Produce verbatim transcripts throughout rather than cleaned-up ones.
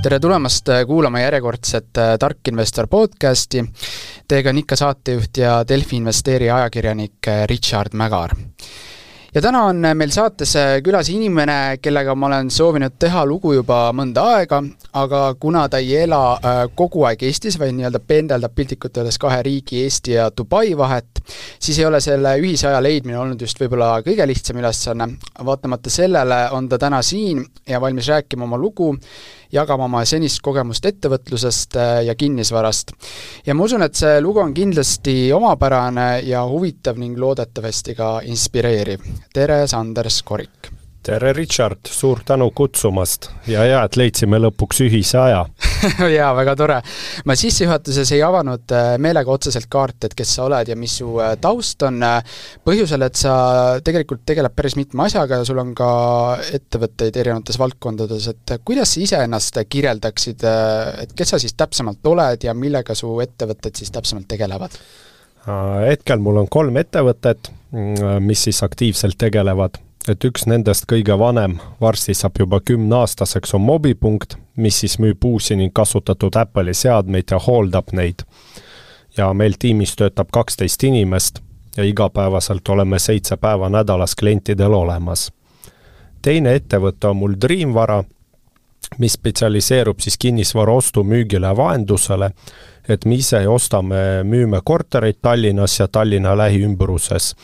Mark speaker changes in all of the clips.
Speaker 1: Tere tulemast kuulama järjekordset Tark Investor podcasti. Teiega on ikka saatejuht ja Delfi Investeeri ajakirjanik Richard Mägar. Ja täna on meil saates külas inimene, kellega ma olen soovinud teha lugu juba mõnda aega, aga kuna ta ei ela kogu aeg Eestis, vaid nii-öelda pendeldab piltlikult öeldes kahe riigi Eesti ja Dubai vahet, siis ei ole selle ühise aja leidmine olnud just võib-olla kõige lihtsam ülesanne. Vaatamata sellele on ta täna siin ja valmis rääkima oma lugu, jagama oma senist kogemust ettevõtlusest ja kinnisvarast. Ja ma usun, et see lugu on kindlasti omapärane ja huvitav ning loodetavasti ka inspireeriv. Tere, Sanders Korik!
Speaker 2: Tere, Richard! Suur tänu kutsumast ja hea, et leidsime lõpuks ühise aja.
Speaker 1: Jaa, väga tore. Ma sissejuhatuses ei avanud meelega otseselt kaart, et kes sa oled ja mis su taust on. Põhjusel, et sa tegelikult tegeleb päris mitme asjaga ja sul on ka ettevõtteid erinevates valdkondades. Et kuidas sa ise ennast kirjeldaksid, et kes sa siis täpsemalt oled ja millega su ettevõtted siis täpsemalt tegelevad?
Speaker 2: Hetkel mul on kolm ettevõtet, mis siis aktiivselt tegelevad. Et üks nendest kõige vanem varsti saab juba kümneaastaseks on Mobipunkt, mis siis müüb uusi ning kasutatud Apple'i seadmeid ja hooldab neid. Ja meil tiimis töötab kaksteist inimest ja igapäevaselt oleme seitse päeva nädalas klientidel olemas. Teine ettevõte on mul Dreamvara, mis spetsialiseerub siis kinnisvara ostu müügile ja vahendusele, et me ise ostame, müüme kortereid Tallinnas ja Tallinna lähiümbruses.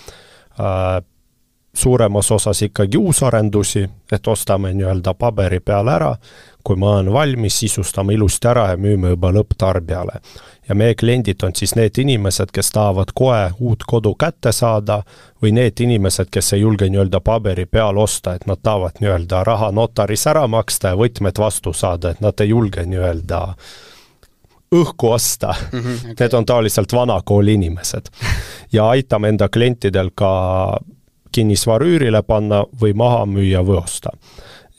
Speaker 2: Suuremas osas ikkagi uusarendusi, et ostame nii-öelda paberi peale ära, kui ma olen valmis, sisustame ilusti ära ja müüme juba lõpptarbijale. Ja meie kliendid on siis need inimesed, kes tahavad kohe uut kodu kätte saada või need inimesed, kes ei julge nii-öelda paberi peal osta, et nad tahavad nii-öelda raha notaris ära maksta ja võtmed vastu saada, et nad ei julge nii-öelda õhku osta. Mm-hmm, okay. Need on taoliselt vanakooli inimesed. Ja aitame enda klientidel ka kinnisvara üürile panna või maha müüa või osta.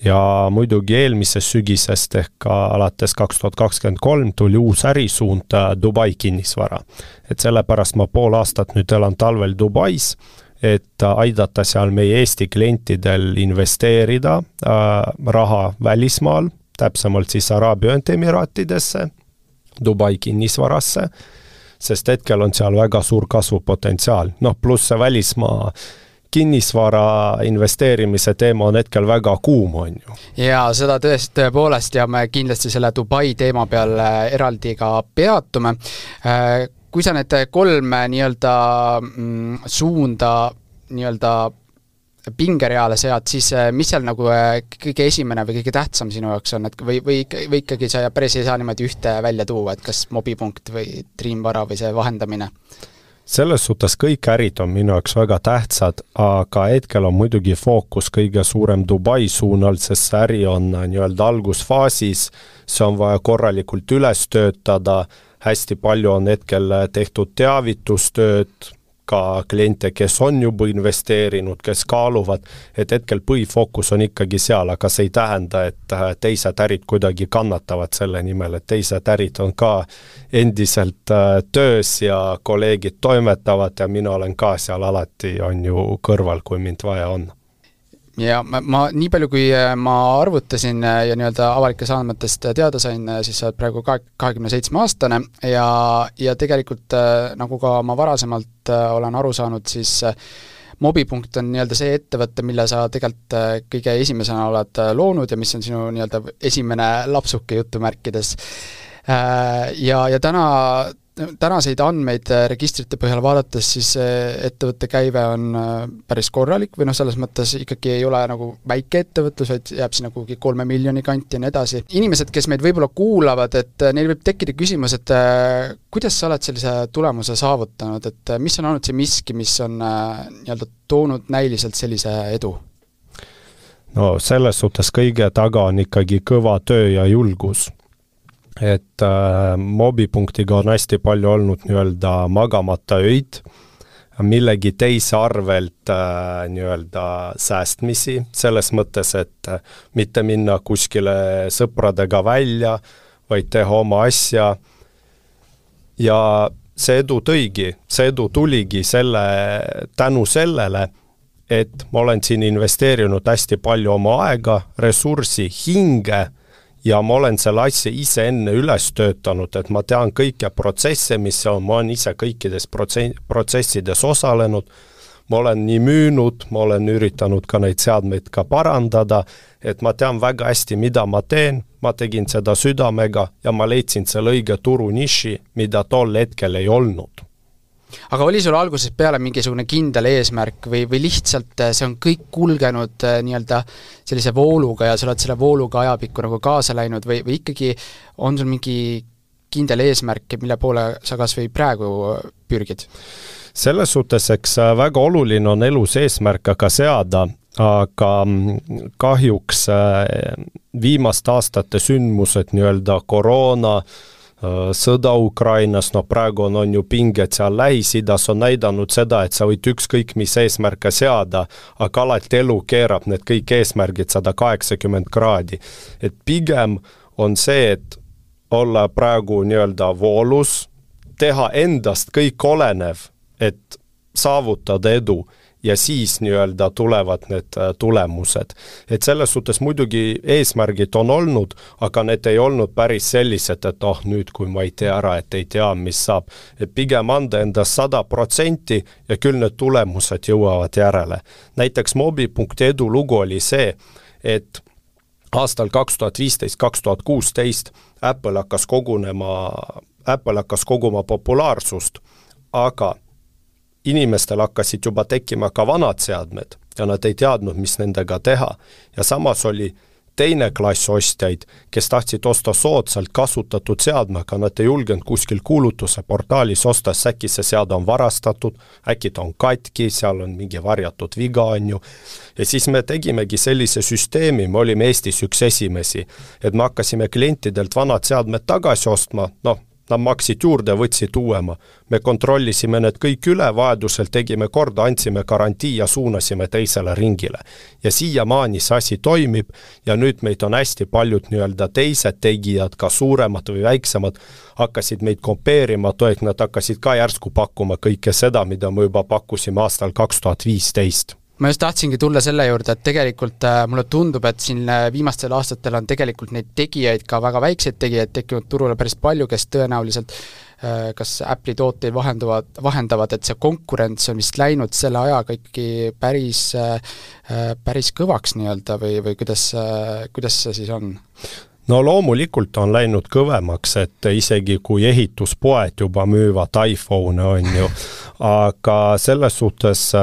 Speaker 2: Ja muidugi eelmisest sügisest ehk alates kaks tuhat kakskümmend kolm tuli uus ärisuund Dubai kinnisvara. Et sellepärast ma pool aastat nüüd elan talvel Dubais, et aidata seal meie Eesti klientidel investeerida äh, raha välismaal, täpsemalt siis Araabia Ühendemiraatidesse, Dubai kinnisvarasse, sest hetkel on seal väga suur kasvupotentsiaal. Noh, pluss see välismaa kinnisvara investeerimise teema on hetkel väga kuum, on ju.
Speaker 1: Ja seda tõest tõepoolest ja me kindlasti selle Dubai teema peal eraldi ka peatume. Kui sa need kolm nii-öelda suunda nii-öelda pingereale sead, siis mis seal nagu kõige esimene või kõige tähtsam sinu jaoks on, et või, või, või ikkagi sa päris ei saa niimoodi ühte välja tuua, et kas Mobipunkt või Dreamvara või see vahendamine?
Speaker 2: Selles suhtes kõik ärid on minu jaoks väga tähtsad, aga hetkel on muidugi fookus kõige suurem Dubai suunal, sest see äri on nii-öelda algusfaasis, see on vaja korralikult üles töötada, hästi palju on hetkel tehtud teavitustööd, ka kliente, kes on juba investeerinud, kes kaaluvad, et hetkel põhifookus on ikkagi seal, aga see ei tähenda, et teised ärid kuidagi kannatavad selle nimel, et teised ärid on ka endiselt töös ja kolleegid toimetavad ja mina olen ka seal alati on ju kõrval, kui mind vaja on.
Speaker 1: Ja ma, ma nii palju, kui ma arvutasin ja nii-öelda avalikes andmetest teada sain, siis sa oled praegu kahekümne seitsme aastane ja, ja tegelikult nagu ka ma varasemalt olen aru saanud, siis Mobipunkt on nii-öelda see ettevõtte, mille sa tegelikult kõige esimesena oled loonud ja mis on sinu nii-öelda esimene lapsuke jutumärkides. Ja, ja täna tänaseid andmeid registrite põhjal vaadates, siis ettevõtte käive on päris korralik või noh, selles mõttes ikkagi ei ole nagu väike ettevõtlus, vaid jääb sinna kuhugi kolme miljoni kanti ja nii edasi. Inimesed, kes meid võib-olla kuulavad, et neil võib tekkida küsimus, et kuidas sa oled sellise tulemuse saavutanud, et mis on olnud see miski, mis on nii-öelda toonud näiliselt sellise edu?
Speaker 2: No selles suhtes kõige taga on ikkagi kõva töö ja julgus. Et äh, Mobipunktiga on hästi palju olnud nii-öelda magamata öid, millegi teise arvelt äh, nii-öelda säästmisi, selles mõttes, et äh, mitte minna kuskile sõpradega välja, vaid teha oma asja. Ja see edu tõigi, see edu tuligi selle, tänu sellele, et ma olen siin investeerinud hästi palju oma aega, ressurssi, hinge ja ma olen selle asja ise enne üles töötanud, et ma tean kõike protsesse, mis on, ma olen ise kõikides protsessides osalenud, ma olen nii müünud, ma olen üritanud ka neid seadmeid ka parandada, et ma tean väga hästi, mida ma teen, ma tegin seda südamega ja ma leidsin selle õige turu niši, mida tol hetkel ei olnud.
Speaker 1: Aga oli sul alguses peale mingisugune kindel eesmärk või, või lihtsalt see on kõik kulgenud nii-öelda sellise vooluga ja sa oled selle vooluga ajapikku nagu kaasa läinud või, või ikkagi on sul mingi kindel eesmärk, mille poole sa kas või praegu pürgid?
Speaker 2: Selles suhtes, eks väga oluline on elus eesmärka ka seada, aga kahjuks viimaste aastate sündmused, nii-öelda koroona, sõda Ukrainas, no praegu on, on ju pinged seal Lähis-Idas, on näidanud seda, et sa võid ükskõik mis eesmärke seada, aga alati elu keerab need kõik eesmärgid sada kaheksakümmend kraadi. Et pigem on see, et olla praegu nii-öelda voolus, teha endast kõik olenev, et saavutada edu ja siis nii-öelda tulevad need tulemused. Et selles suhtes muidugi eesmärgid on olnud, aga need ei olnud päris sellised, et oh, nüüd kui ma ei tea ära, et ei tea, mis saab. Et pigem anda endast sada protsenti ja küll need tulemused jõuavad järele. Näiteks mobi punkt edu lugu oli see, et aastal kaks tuhat viisteist kaks tuhat kuusteist Apple hakkas kogunema, Apple hakkas koguma populaarsust, aga inimestel hakkasid juba tekkima ka vanad seadmed ja nad ei teadnud, mis nendega teha. Ja samas oli teine klass ostjaid, kes tahtsid osta soodsalt kasutatud seadme, aga nad ei julgenud kuskil kuulutuse portaalis osta, äkki see seade on varastatud, äkki ta on katki, seal on mingi varjatud viga on ju. Ja siis me tegimegi sellise süsteemi, me olime Eestis üks esimesi, et me hakkasime klientidelt vanad seadmed tagasi ostma, noh, nad maksid juurde, võtsid uuema. Me kontrollisime need kõik üle, vajadusel tegime korda, andsime garantii ja suunasime teisele ringile. Ja siiamaani see asi toimib ja nüüd meid on hästi paljud nii-öelda teised tegijad, ka suuremad või väiksemad, hakkasid meid kompeerima, toek nad hakkasid ka järsku pakkuma kõike seda, mida me juba pakkusime aastal kaks tuhat viisteist.
Speaker 1: Ma just tahtsingi tulla selle juurde, et tegelikult äh, mulle tundub, et siin viimastel aastatel on tegelikult neid tegijaid, ka väga väikseid tegijaid tekkinud turule päris palju, kes tõenäoliselt äh, kas Apple'i tooteid vahendavad, vahendavad, et see konkurents on vist läinud selle ajaga ikkagi päris, äh, päris kõvaks nii-öelda või, või kuidas, äh, kuidas see siis on?
Speaker 2: No loomulikult on läinud kõvemaks, et isegi kui ehituspoed juba müüvad iPhone on ju, aga selles suhtes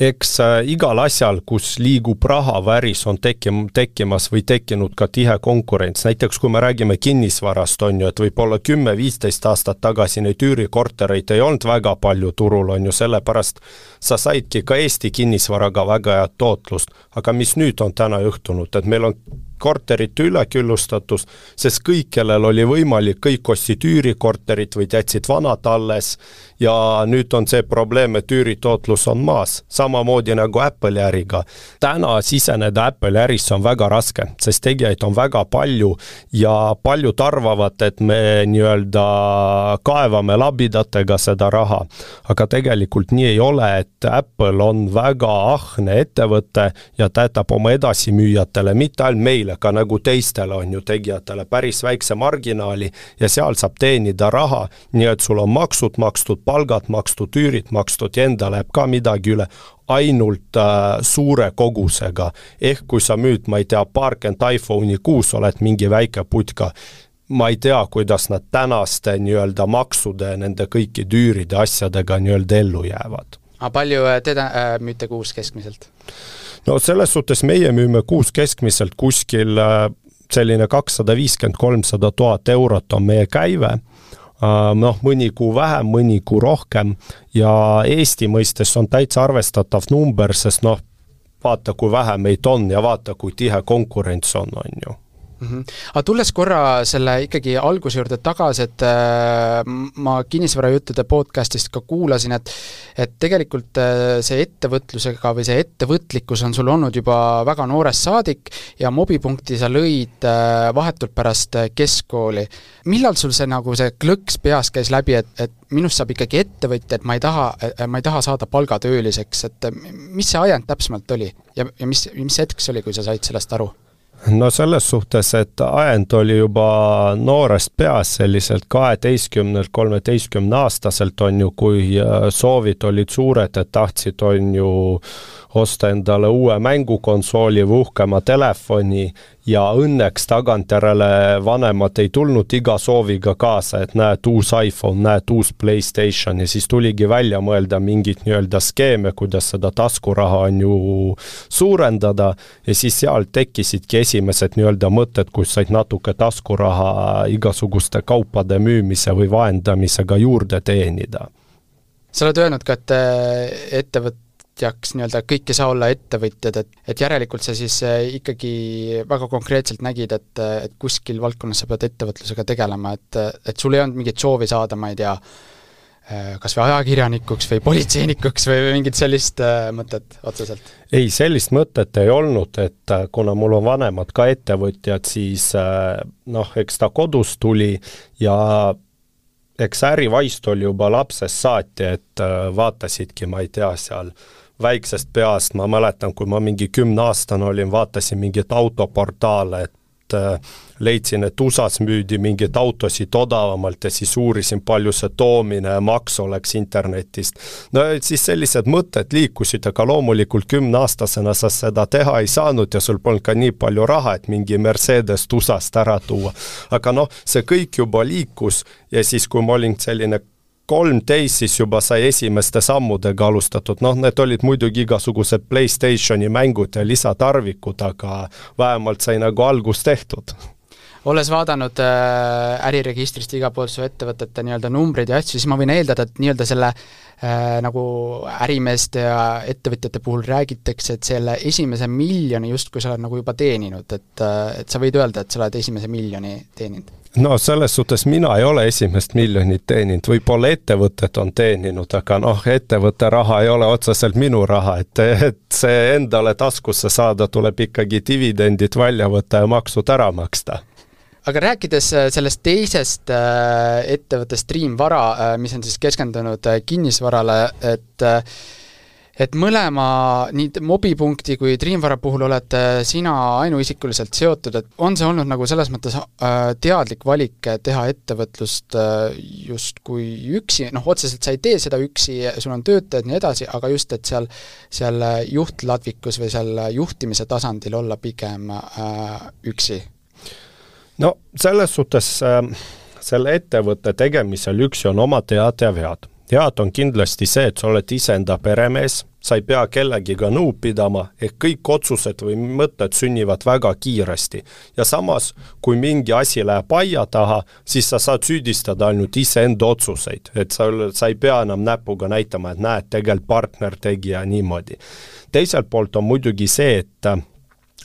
Speaker 2: eks igal asjal, kus liigub raha väris, on tekkim, tekkimas või tekkinud ka tihe konkurents. Näiteks kui me räägime kinnisvarast, on ju, et võib-olla kümme viisteist aastat tagasi neid üürikortereid ei olnud väga palju turul, on ju, sellepärast sa saidki ka Eesti kinnisvaraga väga head tootlust. Aga mis nüüd on täna juhtunud, et meil on korterite üleküllustatus, sest kõik, kellel oli võimalik, kõik ostsid üürikorterit või jätsid vanad alles ja nüüd on see probleem, et üüritootlus on maas. Samamoodi nagu Apple'i äriga. Täna siseneda Apple'i ärisse on väga raske, sest tegijaid on väga palju ja paljud arvavad, et me nii-öelda kaevame labidatega seda raha. Aga tegelikult nii ei ole, et Apple on väga ahne ettevõte ja ta jätab oma edasimüüjatele, mitte ainult meile, ka nagu teistele on ju tegijatele päris väikse marginaali ja seal saab teenida raha, nii et sul on maksud makstud, palgad makstud, üürid makstud ja enda läheb ka midagi üle ainult äh, suure kogusega. Ehk kui sa müüd, ma ei tea, paarkümmend iPhone'i kuus, oled mingi väike putka, ma ei tea, kuidas nad tänaste nii-öelda maksude, nende kõiki üüride asjadega nii-öelda ellu jäävad.
Speaker 1: Aga palju teda äh, müüte kuus keskmiselt?
Speaker 2: No selles suhtes meie müüme kuus keskmiselt kuskil selline kakssada viiskümmend kolmsada tuhat eurot on meie käive. Noh, mõni kuu vähem, mõni kuu rohkem ja Eesti mõistes on täitsa arvestatav number, sest noh, vaata kui vähe meid on ja vaata kui tihe konkurents on, on ju.
Speaker 1: Mm-hmm. Aga tulles korra selle ikkagi alguse juurde tagasi, et äh, ma kinnisvarajuttude podcastist ka kuulasin, et, et tegelikult äh, see ettevõtlusega või see ettevõtlikkus on sul olnud juba väga noores saadik ja mobipunkti sa lõid äh, vahetult pärast keskkooli. Millal sul see, nagu see klõks peas käis läbi, et, et minust saab ikkagi ettevõtja, et ma ei taha, ma ei taha saada palgatööliseks, et mis see ajend täpsemalt oli ja, ja mis, mis hetk see oli, kui sa said sellest aru?
Speaker 2: No selles suhtes, et ajend oli juba noorest peas selliselt kaheteistkümnelt kolmeteistkümne aastaselt on ju, kui soovid olid suured, et tahtsid on ju osta endale uue mängukonsooli või uhkema telefoni ja õnneks tagantjärele vanemad ei tulnud iga sooviga kaasa, et näed uus iPhone, näed uus PlayStation ja siis tuligi välja mõelda mingit nii-öelda skeeme, kuidas seda taskuraha on ju suurendada ja siis seal tekkisidki esimesed nii-öelda mõtted, kus said natuke taskuraha igasuguste kaupade müümise või vahendamisega juurde teenida.
Speaker 1: Sa oled öelnud ka, et ettevõt jaks nii-öelda kõik ei saa olla ettevõtjad, et, et järelikult sa siis ikkagi väga konkreetselt nägid, et, et kuskil valdkonnas sa pead ettevõtlusega tegelema, et, et sul ei olnud mingit soovi saada, ma ei tea, kas või ajakirjanikuks või politseinikuks või mingit sellist mõtet otseselt?
Speaker 2: Ei, sellist mõtet ei olnud, et kuna mul on vanemad ka ettevõtjad, siis noh, eks ta kodus tuli ja eks ärivaist oli juba lapsest saati, et vaatasidki, ma ei tea, seal väiksest peast, ma mäletan, kui ma mingi kümne aastane olin, vaatasin mingit autoportaale, et leidsin, et U S A-s müüdi mingit autosid odavamalt ja siis uurisin, palju see toomine ja maks oleks internetist. No siis sellised mõtted liikusid, aga loomulikult kümne aastasena sa seda teha ei saanud ja sul polnud ka nii palju raha, et mingi Mercedes U S A-st ära tuua. Aga noh, see kõik juba liikus ja siis, kui ma olin selline kolmteist, siis juba sai esimeste sammudega alustatud. Noh, need olid muidugi igasugused PlayStationi mängud ja lisatarvikud, aga vähemalt sai nagu algus tehtud.
Speaker 1: Olles vaadanud äh, äriregistrist igapool su ettevõtete nii-öelda numbrid ja asju, siis ma võin eeldada, et nii-öelda selle äh, nagu ärimeeste ja ettevõtjate puhul räägitakse, et selle esimese miljoni just kui sa oled nagu juba teeninud, et, et sa võid öelda, et sa oled esimese miljoni teeninud.
Speaker 2: No selles suhtes mina ei ole esimest miljonit teeninud, võib-olla ettevõtted on teeninud, aga noh, ettevõtte raha ei ole otseselt minu raha, et, et see endale taskusse saada tuleb ikkagi dividendid välja võtta ja maksud ära maksta.
Speaker 1: Aga rääkides sellest teisest ettevõttest Dream Vara, mis on siis keskendunud kinnisvarale, et et mõlema nii mobipunkti kui Dream Vara puhul oled sina ainuisikuliselt seotud, et on see olnud nagu selles mõttes teadlik valik teha ettevõtlust just kui üksi, noh otseselt sa ei tee seda üksi, sul on töötajad nii edasi, aga just, et seal, seal juhtladvikus või seal juhtimise tasandil olla pigem üksi?
Speaker 2: No selles suhtes äh, selle ettevõtte tegemisel üksi on oma tead ja vead. Tead on kindlasti see, et sa oled iseenda peremees, sa ei pea kellegiga nõu pidama, ehk kõik otsused või mõtted sünnivad väga kiiresti. Ja samas, kui mingi asi läheb aia taha, siis sa saad süüdistada ainult iseenda otsuseid, et sa, sa ei pea enam näpuga näitama, et näed, tegelikult partner tegi ja niimoodi. Teiselt poolt on muidugi see, et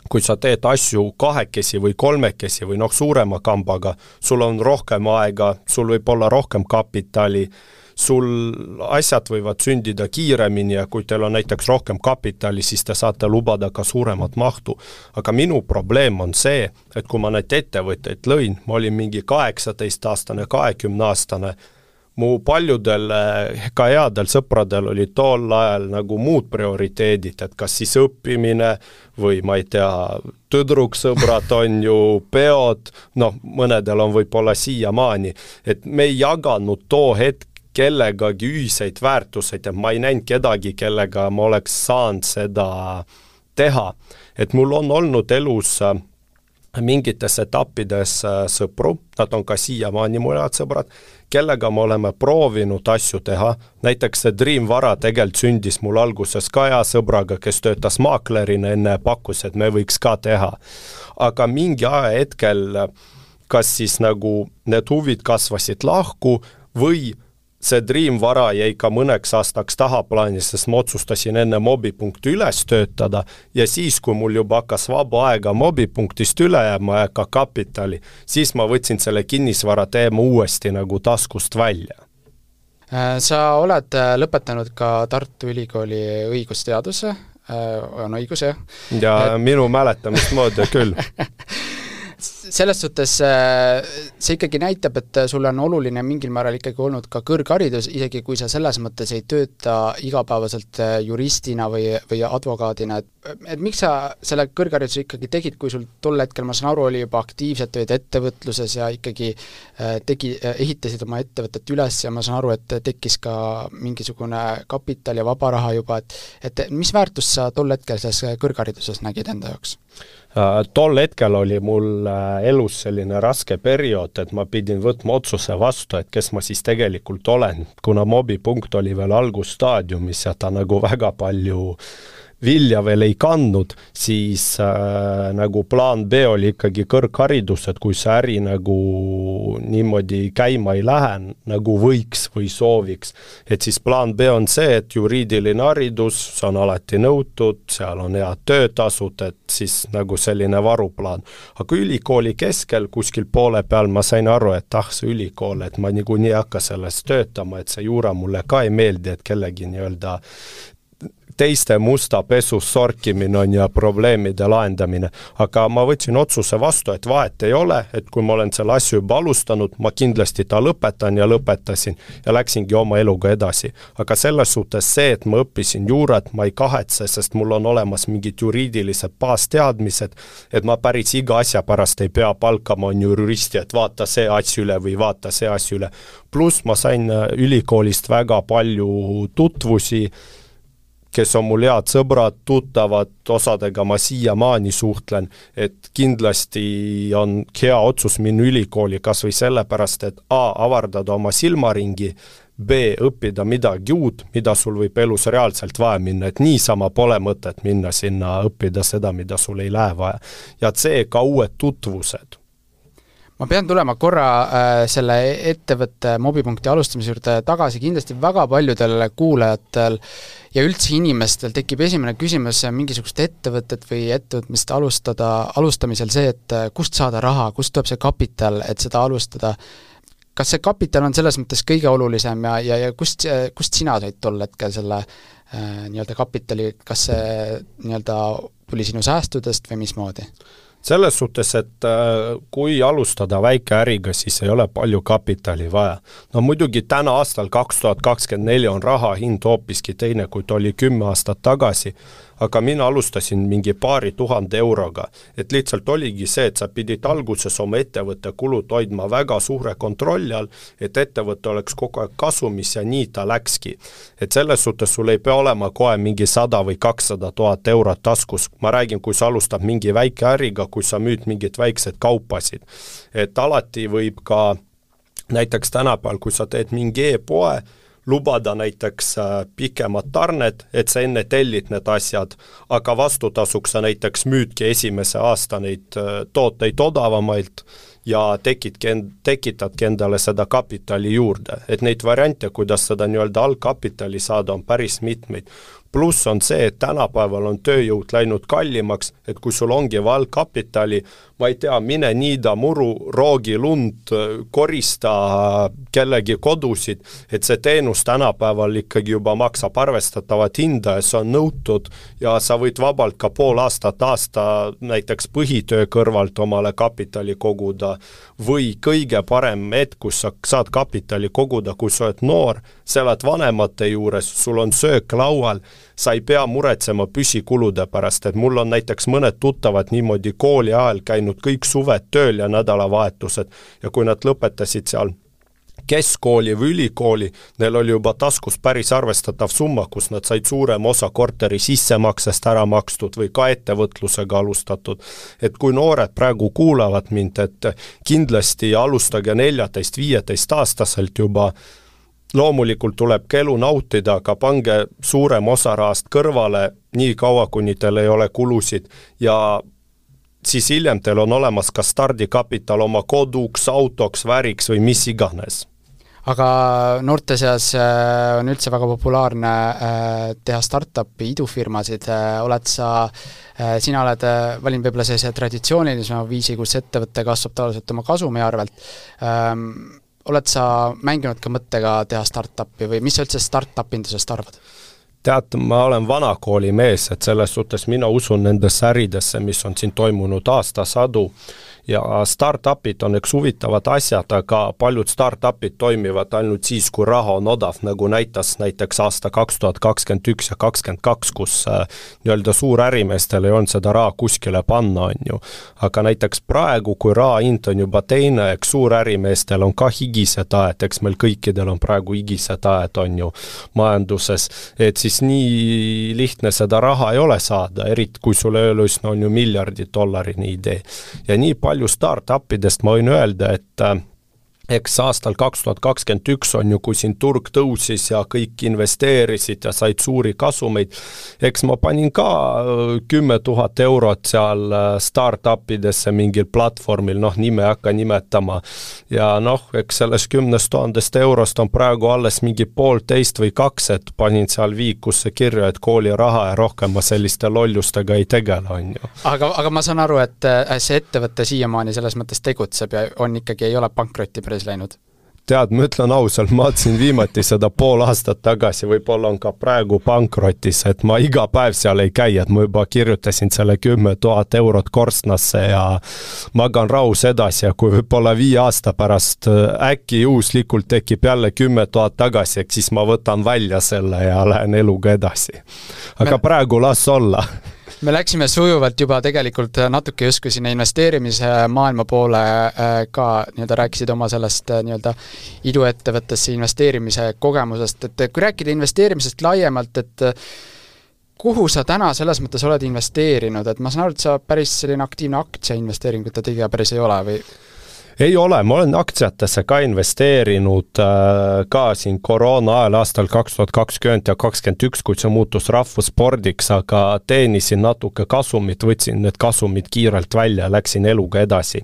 Speaker 2: kui sa teed asju kahekesi või kolmekesi või noh suurema kambaga, sul on rohkem aega, sul võib olla rohkem kapitali, sul asjad võivad sündida kiiremini ja kui teil on näiteks rohkem kapitali, siis te saate lubada ka suuremat mahtu. Aga minu probleem on see, et kui ma need ettevõtteid lõin, ma olin mingi kaheksateist aastane, kahekümne aastane, mu paljudel, ka headel sõpradel oli tol ajal nagu muud prioriteedid, et kas siis õppimine või ma ei tea, tõdruksõbrad on ju peod, noh, mõnedel on võib-olla siiamaani, et me ei jaganud too hetk kellegagi ühiseid väärtuseid ja ma ei näinud kedagi, kellega ma oleks saanud seda teha. Et mul on olnud elus mingites etappides sõpru, nad on ka siiamaani mu head sõbrad, kellega me oleme proovinud asju teha, näiteks see Dream Vara tegelikult sündis mul alguses ka hea sõbraga, kes töötas maaklerina enne pakkus, et me võiks ka teha. Aga mingi aja hetkel, kas siis nagu need huvid kasvasid lahku või see Dream Vara jäi ka mõneks aastaks tahaplaanis, sest ma otsustasin enne mobipunkti üles töötada ja siis, kui mul juba hakkas vaba aega mobipunktist üle jääma ja ka kapitali, siis ma võtsin selle kinnisvara teema uuesti nagu taskust välja.
Speaker 1: Sa oled lõpetanud ka Tartu Ülikooli õigusteaduse, on õigus, jah?
Speaker 2: Ja et... minu mäletamist moodi küll.
Speaker 1: selles suhtes see ikkagi näitab, et sul on oluline mingil määral ikkagi olnud ka kõrgharidus, isegi kui sa selles mõttes ei tööta igapäevaselt juristina või, või advokaadina, et, et miks sa selle kõrghariduse ikkagi tegid, kui sul tol hetkel, ma saan aru, oli juba aktiivselt tööd ettevõtluses ja ikkagi tegi, ehitasid oma ettevõtet üles ja ma saan aru, et tekkis ka mingisugune kapital ja vaba raha juba, et, et mis väärtust sa tol hetkel selles kõrghariduses nägid enda jaoks?
Speaker 2: Tol hetkel oli mul elus selline raske periood, et ma pidin võtma otsuse vastu, et kes ma siis tegelikult olen, kuna mobipunkt oli veel algusstaadiumis ja ta nagu väga palju vilja veel ei kandnud, siis äh, nagu plaan B oli ikkagi kõrgharidus, et kui see äri nagu niimoodi käima ei lähe, nagu võiks või sooviks, et siis plaan B on see, et juriidiline haridus, see on alati nõutud, seal on head töötasud, et siis nagu selline varuplaan. Aga ülikooli keskel kuskil poole peal ma sain aru, et ah, see ülikool, et ma nigu nii hakka selles töötama, et see juura mulle ka ei meeldi, et kellegi nii-öelda teiste musta pesus sorkimine on ja probleemide lahendamine. Aga ma võtsin otsuse vastu, et vahet ei ole, et kui ma olen selle asju juba alustanud, ma kindlasti ta lõpetan ja lõpetasin ja läksingi oma eluga edasi. Aga selles suhtes see, et ma õppisin juurat, ma ei kahetse, sest mul on olemas mingid juriidilised baasteadmised, et ma päris iga asja pärast ei pea palkama on juristi, et vaata see asju üle või vaata see asju üle. Plus ma sain ülikoolist väga palju tutvusi, kes on mul head sõbrad, tuttavad, osadega ma siiamaani suhtlen, et kindlasti on hea otsus minna ülikooli kas või sellepärast, et A, avardada oma silmaringi, B, õppida midagi uut, mida sul võib elus reaalselt vaja minna, et niisama pole mõtet minna sinna õppida seda, mida sul ei lähe vaja. Ja C, ka uued tutvused.
Speaker 1: Ma pean tulema korra äh, selle ettevõtte mobipunkti alustamise juurde tagasi, kindlasti väga paljudel kuulajatel ja üldse inimestel tekib esimene küsimus mingisugust ettevõtet või ettevõtmist alustada, alustamisel see, et kust saada raha, kust tuleb see kapital, et seda alustada. Kas see kapital on selles mõttes kõige olulisem ja, ja, ja kust, kust sina said tol hetkel selle äh, nii-öelda kapitali, kas see nii-öelda tuli sinu säästudest või mismoodi?
Speaker 2: Selles suhtes, et kui alustada väike äriga, siis ei ole palju kapitali vaja. No muidugi täna aastal kaks tuhat kakskümmend neli on raha hind hoopiski teine, kui ta oli kümme aastat tagasi, aga mina alustasin mingi paari tuhande euroga, et lihtsalt oligi see, et sa pidid alguses oma ettevõtte kulud hoidma väga suure kontrolli all, et ettevõte oleks kogu aeg kasumis ja nii ta läkski. Et selles suhtes sul ei pea olema kohe mingi sada või kakssada tuhat eurot taskus. Ma räägin, kui sa alustad mingi väike äriga, kui sa müüd mingid väiksed kaupasid. Et alati võib ka näiteks tänapäeval, kui sa teed mingi e-poe, lubada näiteks pikemad tarned, et sa enne tellid need asjad, aga vastutasuks sa näiteks müüdki esimese aasta neid tooteid odavamailt ja tekitki, tekitadki endale seda kapitali juurde. Et neid variante, kuidas seda nii-öelda algkapitali saada, on päris mitmeid. Pluss on see, et tänapäeval on tööjõud läinud kallimaks, et kui sul ongi valgkapitali, ma ei tea, mine niida muru, roogi lund, korista kellegi kodusid, et see teenus tänapäeval ikkagi juba maksab arvestatavat hinda ja see on nõutud ja sa võid vabalt ka pool aastat aasta näiteks põhitöö kõrvalt omale kapitali koguda või kõige parem hetk, kus sa saad kapitali koguda, kui sa oled noor, sa oled vanemate juures, sul on söök laual, sa ei pea muretsema püsikulude pärast, et mul on näiteks mõned tuttavad niimoodi kooli ajal käinud kõik suved tööl ja nädalavahetused ja kui nad lõpetasid seal keskkooli või ülikooli, neil oli juba taskus päris arvestatav summa, kus nad said suurem osa korteri sissemaksest ära makstud või ka ettevõtlusega alustatud. Et kui noored praegu kuulavad mind, et kindlasti alustage neljateist viieteist aastaselt juba, loomulikult tuleb elu nautida, aga pange suurem osa rahast kõrvale nii kaua, kuni teil ei ole kulusid ja siis hiljem teil on olemas ka stardikapital oma koduks, autoks, väriks või mis iganes.
Speaker 1: Aga noorte seas on üldse väga populaarne teha startupi idufirmasid. Oled sa, sina oled valinud võib-olla sellise traditsioonilisema viisi, kus ettevõtte kasvab tavaliselt oma kasumi arvelt. Oled sa mänginud ka mõttega teha startupi või mis sa üldse startupindusest arvad?
Speaker 2: Tead, ma olen vanakooli mees, et selles suhtes mina usun nendesse äridesse, mis on siin toimunud aastasadu ja startupid on üks huvitavad asjad, aga paljud startupid toimivad ainult siis, kui raha on odav, nagu näitas näiteks aasta kaks tuhat kakskümmend üks ja kakskümmend kaks, kus nii-öelda suur ärimeestel ei olnud seda raha kuskile panna, on ju. Aga näiteks praegu, kui raha hind on juba teine, eks suur ärimeestel on ka higised aed, eks meil kõikidel on praegu higised aed, on ju, majanduses, et siis nii lihtne seda raha ei ole saada, eriti kui sulle öelus on ju miljardi dollarini idee. Ja nii palju startupidest ma võin öelda, et eks aastal kaks tuhat kakskümmend üks on ju, kui siin turg tõusis ja kõik investeerisid ja said suuri kasumeid, eks ma panin ka kümme tuhat eurot seal startupidesse mingil platvormil, noh nime hakka nimetama ja noh, eks selles kümnest tuhandest eurost on praegu alles mingi poolteist või kaks, et panin seal viikusse kirja, et kooli raha ja rohkem ma selliste lollustega ei tegele, on ju.
Speaker 1: Aga, aga ma saan aru, et see ettevõtte siiamaani selles mõttes tegutseb ja on ikkagi, ei ole pankrotti päris läinud.
Speaker 2: Tead, ma ütlen ausalt, ma otsin viimati seda pool aastat tagasi, võib-olla on ka praegu pankrotis, et ma iga päev seal ei käi, et ma juba kirjutasin selle kümme tuhat eurot korstnasse ja magan rahus edasi ja kui võib-olla viie aasta pärast äkki juhuslikult tekib jälle kümme tuhat tagasi, eks siis ma võtan välja selle ja lähen eluga edasi. Aga me... praegu las olla.
Speaker 1: Me läksime sujuvalt juba tegelikult natuke justkui sinna investeerimise maailma poole ka, nii-öelda rääkisid oma sellest nii-öelda iduettevõttesse investeerimise kogemusest, et kui rääkida investeerimisest laiemalt, et kuhu sa täna selles mõttes oled investeerinud, et ma saan aru, et sa päris selline aktiivne aktsiainvesteeringute tegija päris ei ole või?
Speaker 2: Ei ole, ma olen aktsiatesse ka investeerinud äh, ka siin koroona ajal aastal kaks tuhat kakskümmend ja kakskümmend üks, kui see muutus rahvusspordiks, aga teenisin natuke kasumit, võtsin need kasumid kiirelt välja ja läksin eluga edasi.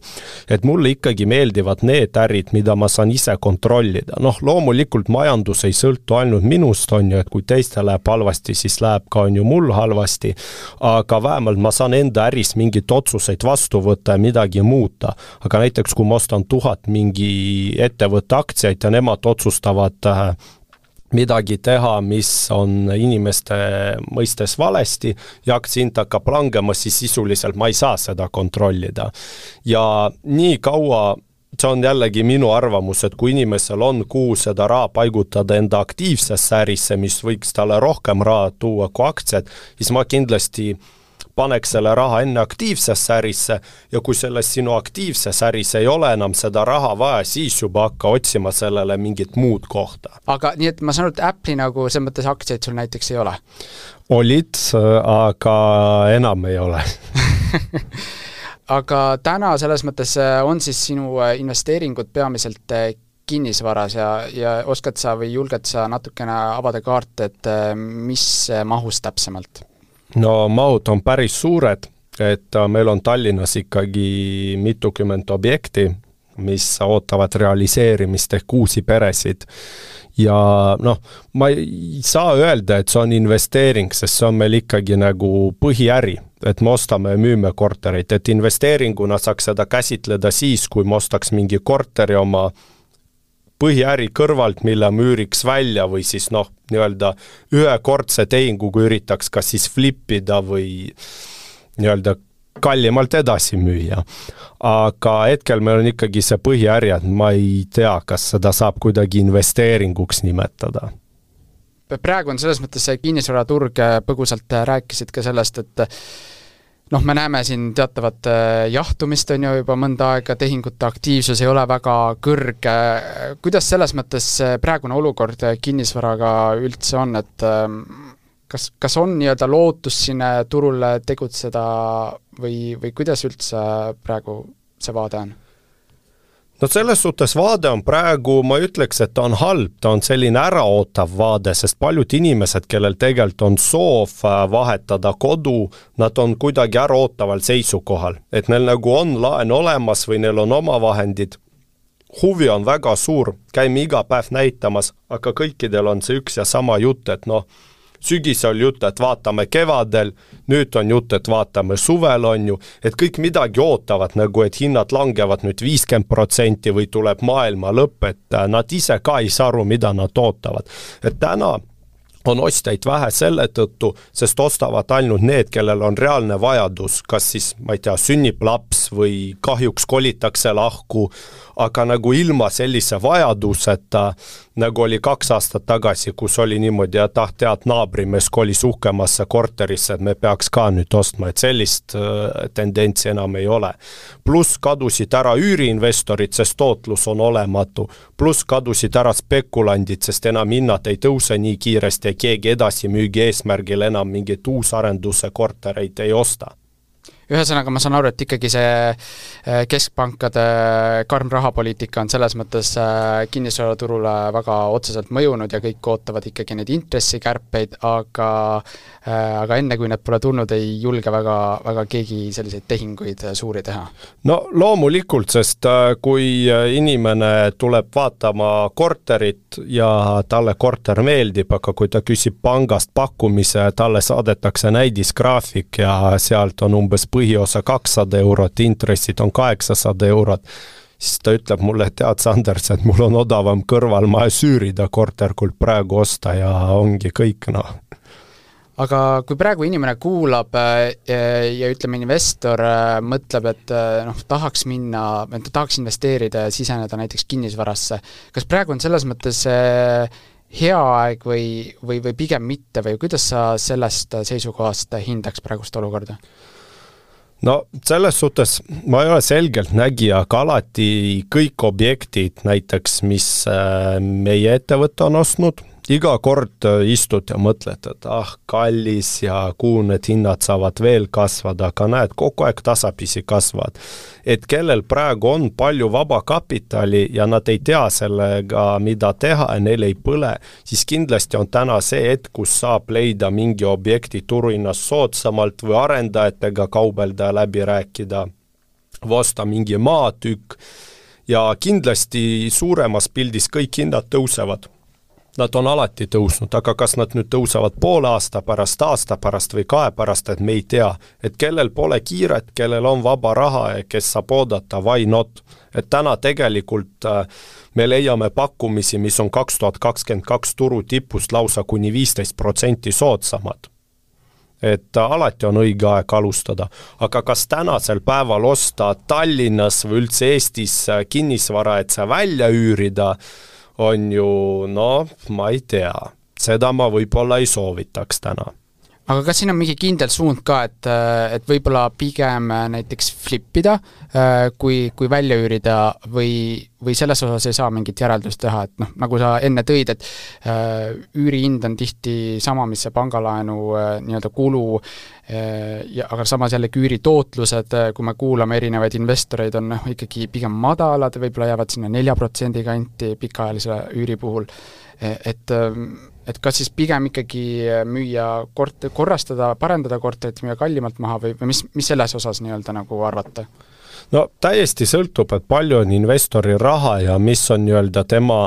Speaker 2: Et mulle ikkagi meeldivad need ärid, mida ma saan ise kontrollida. Noh, loomulikult majandus ei sõltu ainult minust, on ju, et kui teiste läheb halvasti, siis läheb ka on ju mul halvasti, aga vähemalt ma saan enda äris mingit otsuseid vastu võtta ja midagi muuta. Aga näiteks, kui ma ostan tuhat mingi ettevõtte aktsiaid ja nemad otsustavad midagi teha, mis on inimeste mõistes valesti ja aktsiahind hakkab langema, siis sisuliselt ma ei saa seda kontrollida. Ja nii kaua, see on jällegi minu arvamus, et kui inimesel on kuhu seda raha paigutada enda aktiivsesse ärisse, mis võiks talle rohkem raha tuua kui aktsiad, siis ma kindlasti paneks selle raha enne aktiivsesse ärisse ja kui selles sinu aktiivses äris ei ole enam seda raha vaja, siis juba hakka otsima sellele mingit muud kohta.
Speaker 1: Aga nii, et ma saan aru, et Apple'i nagu see mõttes aktsiaid sul näiteks ei ole?
Speaker 2: Olid, aga enam ei ole.
Speaker 1: Aga täna selles mõttes on siis sinu investeeringud peamiselt kinnisvaras ja, ja oskad sa või julged sa natukene avada kaarte, et mis mahus täpsemalt?
Speaker 2: No mahud on päris suured, et meil on Tallinnas ikkagi mitukümmend objekti, mis ootavad realiseerimist ehk uusi peresid. Ja noh, ma ei saa öelda, et see on investeering, sest see on meil ikkagi nagu põhiäri, et me ostame ja müüme korterit, et investeeringuna saaks seda käsitleda siis, kui me ostaks mingi korteri oma põhiäri kõrvalt, mille müüriks välja või siis noh, nii-öelda ühekordse tehingu, kui üritaks kas siis flippida või nii-öelda kallimalt edasi müüa. Aga hetkel meil on ikkagi see põhiäri, et ma ei tea, kas seda saab kuidagi investeeringuks nimetada.
Speaker 1: Praegu on selles mõttes see kinnisvaraturg, põgusalt rääkisid ka sellest, et noh, me näeme siin teatavat jahtumist on ju juba mõnda aega, tehingute aktiivsus ei ole väga kõrge. Kuidas selles mõttes praegune olukord kinnisvaraga üldse on, et kas, kas on nii-öelda lootus sinna turule tegutseda või, või kuidas üldse praegu see vaade on?
Speaker 2: No selles suhtes vaade on praegu, ma ütleks, et ta on halb, ta on selline äraootav vaade, sest paljud inimesed, kellel tegelikult on soov vahetada kodu, nad on kuidagi äraootaval seisukohal, et neil nagu on laen olemas või neil on oma vahendid. Huvi on väga suur, käime iga päev näitamas, aga kõikidel on see üks ja sama jutt, et noh, sügis on jutt, et vaatame kevadel, nüüd on jutt, et vaatame suvel on ju, et kõik midagi ootavad, nagu et hinnad langevad nüüd viiskümmend protsenti või tuleb maailma lõpp, et nad ise ka ei saa aru, mida nad ootavad. Et täna on ostjaid vähe selle tõttu, sest ostavad ainult need, kellel on reaalne vajadus, kas siis, ma ei tea, sünnib laps või kahjuks kolitakse lahku, aga nagu ilma sellise vajaduseta, nagu oli kaks aastat tagasi, kus oli niimoodi, et ah, tead, naabrimees kolis uhkemasse korterisse, et me peaks ka nüüd ostma, et sellist äh, tendentsi enam ei ole. Plus kadusid ära üüriinvestorid, sest tootlus on olematu. Plus kadusid ära spekulandid, sest enam hinnad ei tõuse nii kiiresti ja keegi edasi müügi eesmärgil enam mingit uusarenduse kortereid ei osta.
Speaker 1: Ühesõnaga ma saan aru, et ikkagi see keskpankade karm rahapoliitika on selles mõttes kinnisvaraturule väga otseselt mõjunud ja kõik ootavad ikkagi neid intressikärpeid, aga, aga enne kui need pole tulnud, ei julge väga, väga keegi selliseid tehinguid suuri teha.
Speaker 2: No loomulikult, sest kui inimene tuleb vaatama korterit ja talle korter meeldib, aga kui ta küsib pangast pakkumise, talle saadetakse näidisgraafik ja sealt on umbes põhiosa kakssada eurot, intressid on kaheksasada eurot, siis ta ütleb mulle, tead Sanders, et mul on odavam kõrval maja süürida korter, kui praegu osta ja ongi kõik, noh.
Speaker 1: Aga kui praegu inimene kuulab ja ütleme, investor mõtleb, et noh, tahaks minna, et tahaks investeerida ja siseneda näiteks kinnisvarasse, kas praegu on selles mõttes hea aeg või, või, või pigem mitte või kuidas sa sellest seisukohast hindaks praegust olukorda?
Speaker 2: No selles suhtes ma ei ole selgelt nägija, aga alati kõik objektid näiteks, mis meie ettevõte on ostnud, iga kord istud ja mõtled, et ah, kallis ja kuhu need hinnad saavad veel kasvada, aga näed, kogu aeg tasapisi kasvavad. Et kellel praegu on palju vaba kapitali ja nad ei tea sellega, mida teha ja neil ei põle, siis kindlasti on täna see hetk, kus saab leida mingi objekti turuhinnast soodsamalt või arendajatega kaubelda ja läbi rääkida, osta mingi maatükk ja kindlasti suuremas pildis kõik hinnad tõusevad. Nad on alati tõusnud, aga kas nad nüüd tõusevad poole aasta pärast, aasta pärast või kahe pärast, et me ei tea, et kellel pole kiiret, kellel on vaba raha ja kes saab oodata, why not? Et täna tegelikult me leiame pakkumisi, mis on kaks tuhat kakskümmend kaks turu tipust lausa kuni viisteist protsenti soodsamad. Et alati on õige aeg alustada, aga kas tänasel päeval osta Tallinnas või üldse Eestis kinnisvara, et see välja üürida, on ju, no, ma ei tea. Seda ma võib-olla ei soovitaks täna.
Speaker 1: Aga kas siin on mingi kindel suund ka, et, et võib-olla pigem näiteks flippida, kui, kui välja üürida või, või selles osas ei saa mingit järeldust teha, et noh, nagu sa enne tõid, et üürihind on tihti sama, mis see pangalaenu nii-öelda kulu, ja, aga samas jällegi üüritootlused, kui me kuulame erinevaid investoreid, on noh, ikkagi pigem madalad, võib-olla jäävad sinna nelja protsendi kanti pikaajalise üüri puhul, et et kas siis pigem ikkagi müüa kort-, korrastada, parendada korterit, müüa kallimalt maha või, või mis, mis selles osas nii-öelda nagu arvata?
Speaker 2: No täiesti sõltub, et palju on investori raha ja mis on nii-öelda tema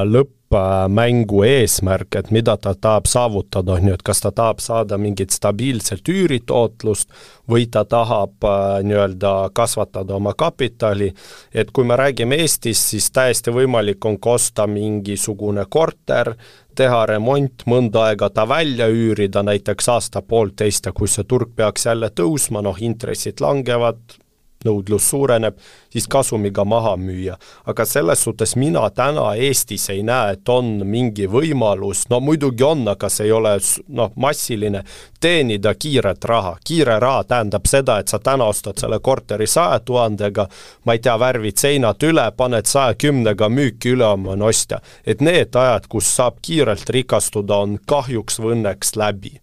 Speaker 2: lõppmängu eesmärk, et mida ta tahab saavutada, on ju, et kas ta tahab saada mingit stabiilselt üüritootlust või ta tahab nii-öelda kasvatada oma kapitali, et kui me räägime Eestis, siis täiesti võimalik on kosta mingisugune korter, teha remont, mõnda aega ta välja üürida, näiteks aasta poolteist ja kui see turg peaks jälle tõusma, noh intressid langevad, nõudlus suureneb, siis kasumiga maha müüa. Aga selles suhtes mina täna Eestis ei näe, et on mingi võimalus, no muidugi on, aga see ei ole no, massiline, teenida kiiret raha. Kiire raha tähendab seda, et sa täna ostad selle korteri saja tuhandega, ma ei tea, värvid seinad üle, paned saja kümnega müüki üle oma ostja. Et need ajad, kus saab kiirelt rikastuda, on kahjuks või õnneks läbi.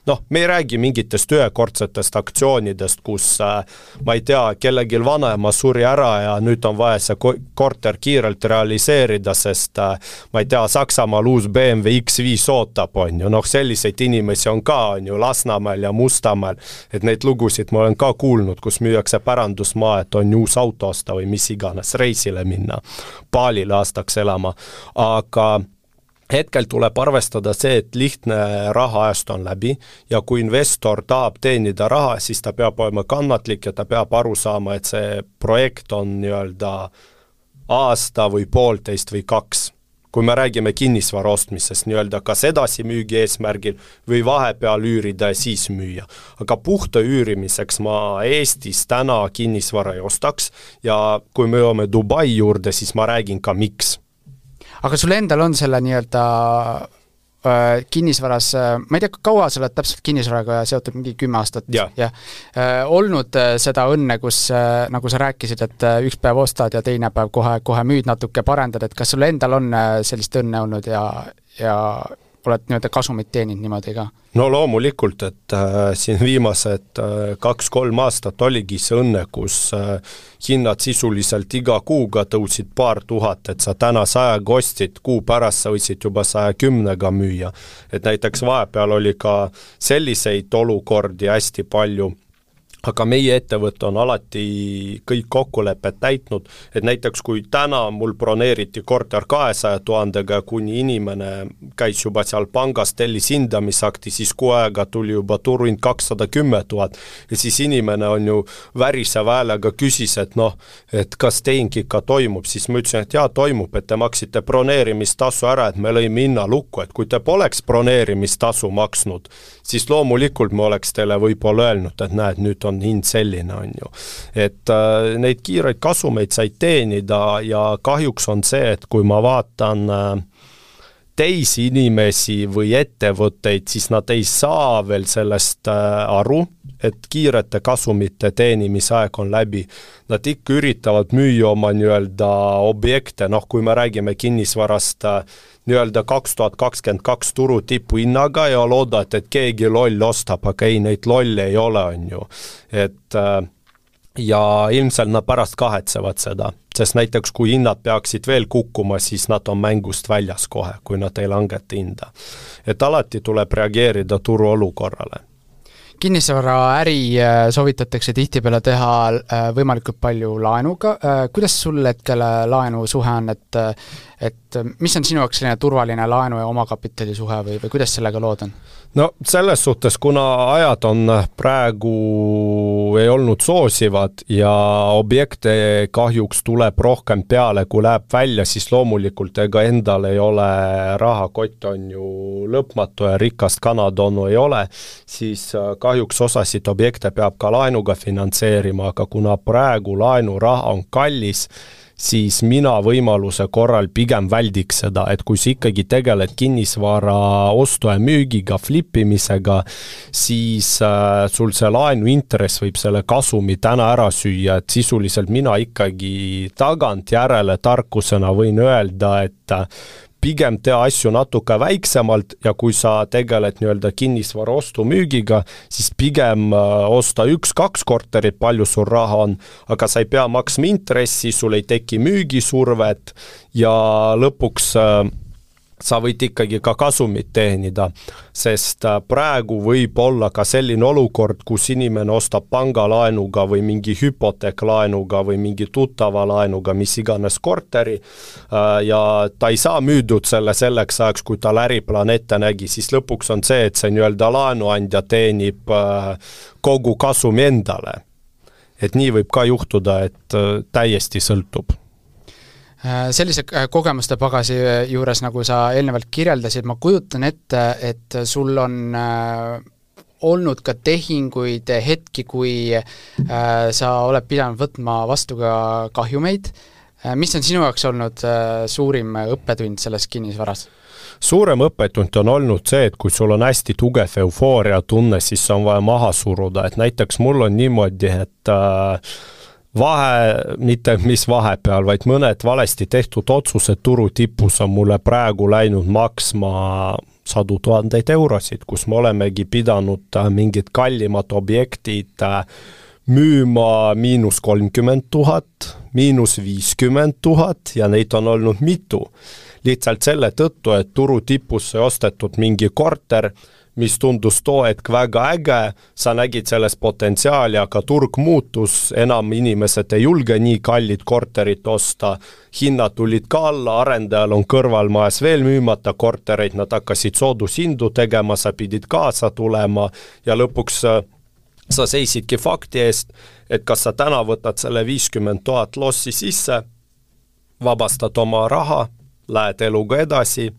Speaker 2: Noh, me ei räägi mingitest ühekordsetest aktsioonidest, kus äh, ma ei tea, kellegi vanaema suri ära ja nüüd on vaja see korter kiirelt realiseerida, sest äh, ma ei tea, Saksamaal uus B M W X viis ootab, on ju, noh selliseid inimesi on ka, on ju, Lasnamäel ja Mustamäel, et neid lugusid ma olen ka kuulnud, kus müüakse pärandusmaa, et on uus auto osta või mis iganes, reisile minna, Baalile aastaks elama, aga hetkel tuleb arvestada see, et lihtne rahaajast on läbi ja kui investor tahab teenida raha, siis ta peab olema kannatlik ja ta peab aru saama, et see projekt on nii-öelda aasta või poolteist või kaks. kui me räägime kinnisvara ostmisest, nii-öelda kas edasi müügi eesmärgil või vahepeal üürida ja siis müüa. Aga puhta üürimiseks ma Eestis täna kinnisvara ei ostaks ja kui me joome Dubai juurde, siis ma räägin ka miks.
Speaker 1: Aga sul endal on selle nii-öelda äh, kinnisvaras, äh, ma ei tea, kaua sa oled täpselt kinnisvaraga seotud, mingi kümme aastat
Speaker 2: ja.
Speaker 1: Ja, äh, olnud äh, seda õnne, kus äh, nagu sa rääkisid, et äh, üks päev ostad ja teine päev kohe, kohe müüd natuke parendad, et kas sul endal on äh, sellist õnne olnud ja, ja oled nii-öelda kasumit teeninud niimoodi ka?
Speaker 2: No loomulikult, et äh, siin viimased äh, kaks-kolm aastat oligi see õnne, kus äh, hinnad sisuliselt iga kuuga tõusid paar tuhat, et sa täna sajaga ostid, kuu pärast sa võisid juba saja kümnega müüa. Et näiteks vahepeal oli ka selliseid olukordi hästi palju, aga meie ettevõte on alati kõik kokkulepet täitnud, et näiteks kui täna mul broneeriti korter kahesaja tuhandega, kuni inimene käis juba seal pangas, tellis hindamisakti, siis kuu aega tuli juba turuhind kakssada kümme tuhat ja siis inimene on ju värise häälega küsis, et noh, et kas tehing ikka toimub, siis ma ütlesin, et jaa, toimub, et te maksite broneerimistasu ära, et me lõime hinna lukku, et kui te poleks broneerimistasu maksnud, siis loomulikult me oleks teile võib-olla öelnud, et näed, nüüd on hind selline on ju. Et äh, neid kiireid kasumeid said teenida ja kahjuks on see, et kui ma vaatan äh, teisi inimesi või ettevõtteid, siis nad ei saa veel sellest äh, aru, et kiirete kasumite teenimise aeg on läbi. Nad ikka üritavad müüa oma nii-öelda objekte, noh kui me räägime kinnisvarast äh, nii-öelda kaks tuhat kakskümmend kaks turu tipu hinnaga ja loodad, et keegi loll ostab, aga ei, neid lolle ei ole, on ju. Et ja ilmselt nad pärast kahetsevad seda, sest näiteks kui hinnad peaksid veel kukkuma, siis nad on mängust väljas kohe, kui nad ei langeta hinda. Et alati tuleb reageerida turu olukorrale.
Speaker 1: Kinnisvara äri soovitatakse tihtipeale teha võimalikult palju laenuga. Kuidas sul hetkel laenu suhe on, et, et mis on sinu jaoks selline turvaline laenu ja omakapitali suhe või, või kuidas sellega lood on?
Speaker 2: No selles suhtes, kuna ajad on praegu ei olnud soosivad ja objekte kahjuks tuleb rohkem peale, kui läheb välja, siis loomulikult ega endal ei ole rahakott on ju lõpmatu ja rikast kanatonu ei ole, siis kahjuks osasid objekte peab ka laenuga finantseerima, aga kuna praegu laenuraha on kallis, siis mina võimaluse korral pigem väldiks seda, et kui sa ikkagi tegeled kinnisvara ostu ja müügiga, flippimisega, siis äh, sul see laenu intress võib selle kasumi täna ära süüa, et sisuliselt mina ikkagi tagant järele tarkusena võin öelda, et pigem tea asju natuke väiksemalt ja kui sa tegeled nii-öelda kinnisvara ostu müügiga, siis pigem osta üks-kaks korterit, palju sul raha on, aga sa ei pea maksma intressi, sul ei teki müügisurvet ja lõpuks sa võid ikkagi ka kasumit teenida, sest praegu võib olla ka selline olukord, kus inimene ostab pangalaenuga või mingi hüpoteeklaenuga või mingi tuttava laenuga, mis iganes korteri ja ta ei saa müüdud selle selleks ajaks, kui tal äriplaan ette nägi, siis lõpuks on see, et see nii-öelda laenuandja teenib kogu kasumi endale. Et nii võib ka juhtuda, et täiesti sõltub.
Speaker 1: Sellise kogemuste pagasi juures, nagu sa eelnevalt kirjeldasid, ma kujutan ette, et sul on olnud ka tehinguid hetki, kui sa oled pidanud võtma vastu ka kahjumeid. Mis on sinu jaoks olnud suurim õppetund selles kinnisvaras?
Speaker 2: Suurem õppetund on olnud see, et kui sul on hästi tugev eufooria tunne, siis on vaja maha suruda. Et näiteks mul on niimoodi, et vahe, mitte mis vahepeal, vaid mõned valesti tehtud otsused turu tipus on mulle praegu läinud maksma sadu tuhandeid eurosid, kus me olemegi pidanud mingid kallimad objektid müüma miinus kolmkümmend tuhat, miinus viiskümmend tuhat ja neid on olnud mitu. Lihtsalt selle tõttu, et turu tipus sai ostetud mingi korter, mis tundus too hetk väga äge, sa nägid selles potentsiaali, aga turg muutus, enam inimesed ei julge nii kallid korterit osta, hinnad tulid ka alla, arendajal on kõrvalmajas veel müümata kortereid, nad hakkasid soodushindu tegema, sa pidid kaasa tulema ja lõpuks sa seisidki fakti eest, et kas sa täna võtad selle viiskümmend tuhat lossi sisse, vabastad oma raha lähed eluga edasi,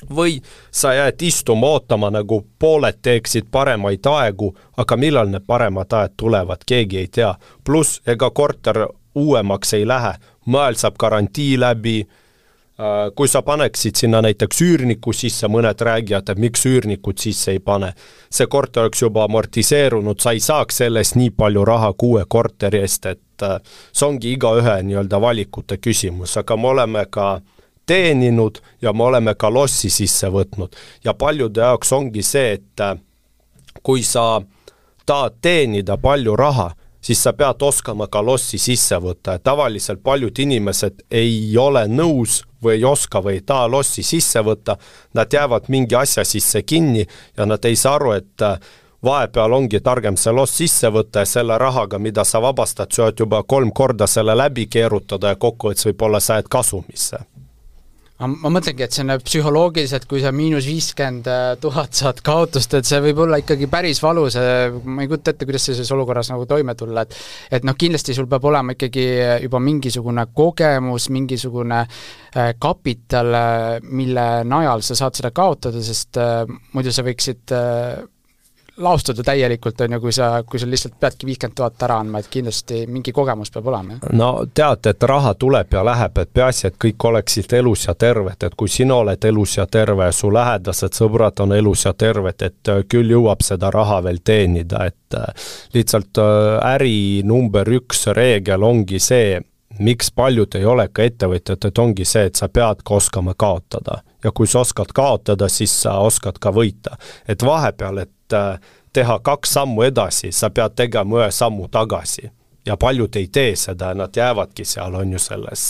Speaker 2: või sa jääd istuma ootama, nagu pooled teeksid paremaid aegu, aga millal need paremad ajad tulevad, keegi ei tea. Plus ega korter uuemaks ei lähe, maal saab garantii läbi, kui sa paneksid sinna näiteks üürniku sisse, mõned räägivad, et miks üürnikud sisse ei pane. See korter oleks juba amortiseerunud, sa ei saaks sellest nii palju raha kuue korteri eest, et see ongi iga ühe nii-öelda valikute küsimus, aga me oleme ka teeninud ja me oleme ka lossi sisse võtnud. Ja paljude jaoks ongi see, et kui sa tahad teenida palju raha, siis sa pead oskama ka lossi sisse võtta. Tavaliselt paljud inimesed ei ole nõus või ei oska või ei taha lossi sisse võtta, nad jäävad mingi asja sisse kinni ja nad ei saa aru, et vahepeal ongi targem see loss sisse võtta ja selle rahaga, mida sa vabastad, sa oled juba kolm korda selle läbi keerutada ja kokkuvõttes võib-olla sa jääd kasumisse.
Speaker 1: Ma mõtlengi, et see on psühholoogiliselt, kui sa miinus viiskümmend tuhat saad kaotust, et see võib olla ikkagi päris valus, ma ei kujuta ette, kuidas selles olukorras nagu toime tulla, et et noh, kindlasti sul peab olema ikkagi juba mingisugune kogemus, mingisugune kapital, mille najal sa saad seda kaotada, sest muidu sa võiksid laustada täielikult, on ju, kui sa, kui sa lihtsalt peadki viiskümmend tuhat ära andma, et kindlasti mingi kogemus peab olema.
Speaker 2: No tead, et raha tuleb ja läheb, et peaasi, et kõik oleksid elus ja terved, et kui sina oled elus ja terve, su lähedased sõbrad on elus ja terved, et küll jõuab seda raha veel teenida, et lihtsalt äri number üks reegel ongi see, miks paljud ei ole ka ettevõtjad, et ongi see, et sa pead ka oskama kaotada. Ja kui sa oskad kaotada, siis sa oskad ka võita. Et vahepeal, et teha kaks sammu edasi, sa pead tegema ühe sammu tagasi. Ja paljud ei tee seda, nad jäävadki seal, on ju selles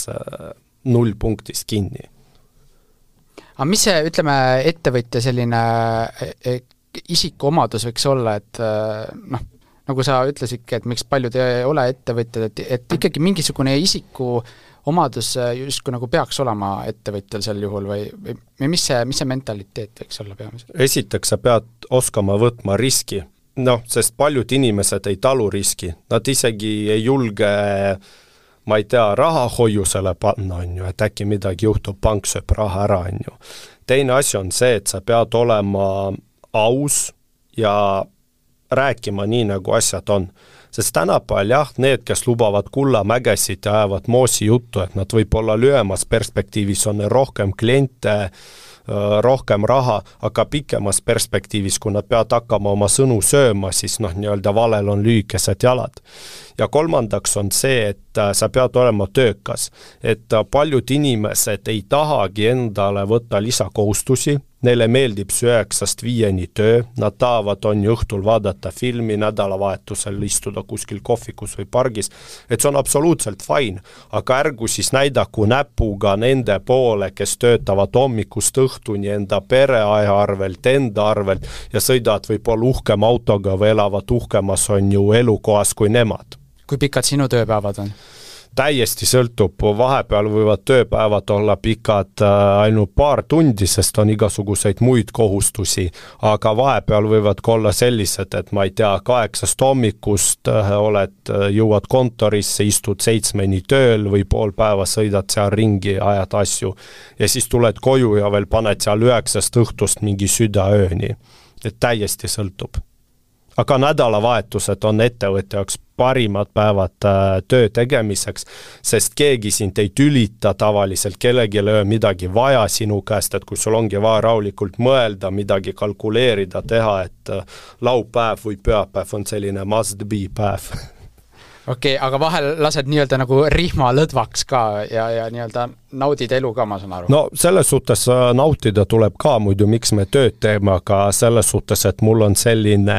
Speaker 2: null punktis kinni.
Speaker 1: Aga mis see, ütleme, ettevõtja selline isikuomadus võiks olla, et noh, nagu sa ütlesidki, et miks paljud ei ole ettevõtjad, et, et ikkagi mingisugune isiku omadus justkui nagu peaks olema ettevõtjal sel juhul või, või mis see, mis see mentaliteet võiks olla peamiselt?
Speaker 2: Esiteks sa pead oskama võtma riski, noh, sest paljud inimesed ei talu riski, nad isegi ei julge, ma ei tea, raha hoiusele panna, on ju, et äkki midagi juhtub, pank sööb raha ära, on ju. Teine asi on see, et sa pead olema aus ja rääkima nii, nagu asjad on. Sest tänapäeval jah, need, kes lubavad kullamägesid ja ajavad moosi juttu, et nad võib olla lühemas perspektiivis on rohkem kliente, rohkem raha, aga pikemas perspektiivis, kui nad peavad hakkama oma sõnu sööma, siis noh, nii-öelda valel on lühikesed jalad. Ja kolmandaks on see, et sa pead olema töökas, et paljud inimesed ei tahagi endale võtta lisakohustusi, neile meeldib see üheksast viieni töö, nad tahavad on õhtul vaadata filmi, nädalavahetusel istuda kuskil kohvikus või pargis, et see on absoluutselt fine, aga ärgu siis näidaku näpuga nende poole, kes töötavad hommikust õhtuni enda pereaja arvelt, enda arvelt ja sõidavad võib-olla uhkem autoga või elavad uhkemas on ju elukohas kui nemad.
Speaker 1: Kui pikad sinu tööpäevad on?
Speaker 2: Täiesti sõltub, vahepeal võivad tööpäevad olla pikad ainult paar tundi, sest on igasuguseid muid kohustusi, aga vahepeal võivad olla sellised, et ma ei tea, kaheksast hommikust oled, jõuad kontorisse, istud seitsmeni tööl või pool päeva sõidad seal ringi, ajad asju ja siis tuled koju ja veel paned seal üheksast õhtust mingi südaööni, et täiesti sõltub. Aga nädalavahetused on ettevõtja jaoks parimad päevad töö tegemiseks, sest keegi sind ei tülita tavaliselt, kellegi ei ole midagi vaja sinu käest, et kui sul ongi vaja rahulikult mõelda, midagi kalkuleerida, teha, et laupäev või pühapäev on selline must be päev.
Speaker 1: Okei, okay, aga vahel lased nii-öelda nagu rihma lõdvaks ka ja, ja nii-öelda naudid elu ka, ma saan aru.
Speaker 2: No selles suhtes nautida tuleb ka muidu, miks me tööd teeme, aga selles suhtes, et mul on selline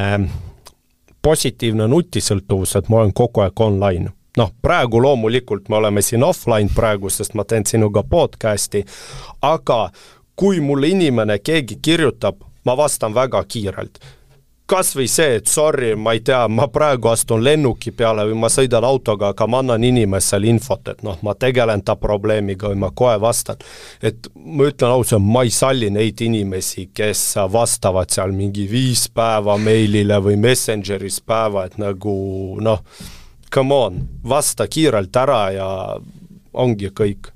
Speaker 2: positiivne nutisõltuvus, et ma olen kogu aeg online. Noh, praegu loomulikult me oleme siin offline praegu, sest ma teen sinuga podcasti, aga kui mulle inimene keegi kirjutab, ma vastan väga kiirelt. Kas või see, et sorry, ma ei tea, ma praegu astun lennuki peale või ma sõidan autoga, aga ma annan inimesele infot, et noh, ma tegelen ta probleemiga või ma kohe vastan. Et ma ütlen ausalt, ma ei salli neid inimesi, kes vastavad seal mingi viis päeva meilile või messengeris päeva, et nagu noh, come on, vasta kiirelt ära ja ongi kõik.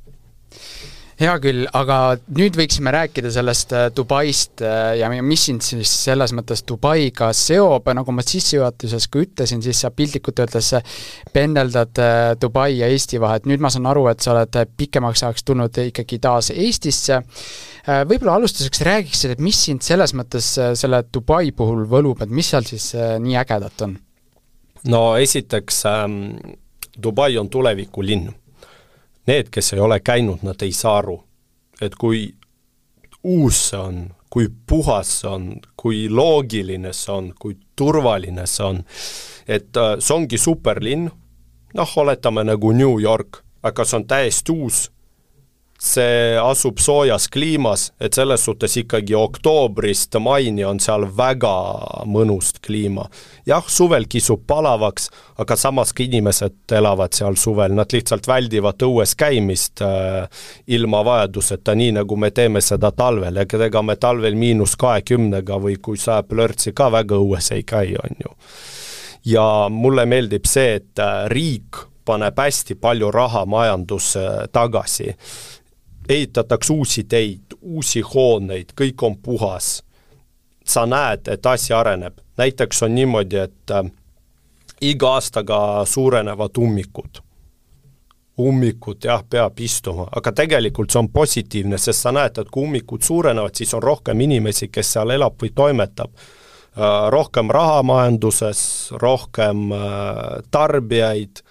Speaker 1: Hea küll, aga nüüd võiksime rääkida sellest Dubaist ja mis sind siis selles mõttes Dubaiga seob, nagu ma sissejuhatuses kui ütlesin, siis sa piltlikult öeldes pendeldad Dubai ja Eesti vahet. Nüüd ma saan aru, et sa oled pikemaks ajaks tulnud ikkagi taas Eestisse. Võib-olla alustuseks räägiksid, et mis sind selles mõttes selle Dubai puhul võlub, et mis seal siis nii ägedat on?
Speaker 2: No esiteks ähm, Dubai on tulevikulinn. Need, kes ei ole käinud, nad ei saa aru, et kui uus see on, kui puhas see on, kui loogiline see on, kui turvaline see on. Et see ongi superlinn, noh, oletame nagu New York, aga see on täiesti uus. See asub soojas kliimas, et selles suhtes ikkagi oktoobrist maini on seal väga mõnust kliima. Jah, suvel kisub palavaks, aga samas inimesed elavad seal suvel, nad lihtsalt väldivad õues käimist äh, ilma vajaduseta, nii nagu me teeme seda talvel, ja ega me talvel miinus kahekümnega või kui saab lörtsi ka väga õues ei käi, on ju. Ja mulle meeldib see, et riik paneb hästi palju raha majandusse tagasi. Ehitatakse uusi teid, uusi hooneid, kõik on puhas. Sa näed, et asi areneb. Näiteks on niimoodi, et äh, iga aastaga suurenevad ummikud. Ummikud, jah, peab istuma, aga tegelikult see on positiivne, sest sa näed, et kui ummikud suurenevad, siis on rohkem inimesi, kes seal elab või toimetab. Äh, rohkem raha majanduses, rohkem äh, tarbijaid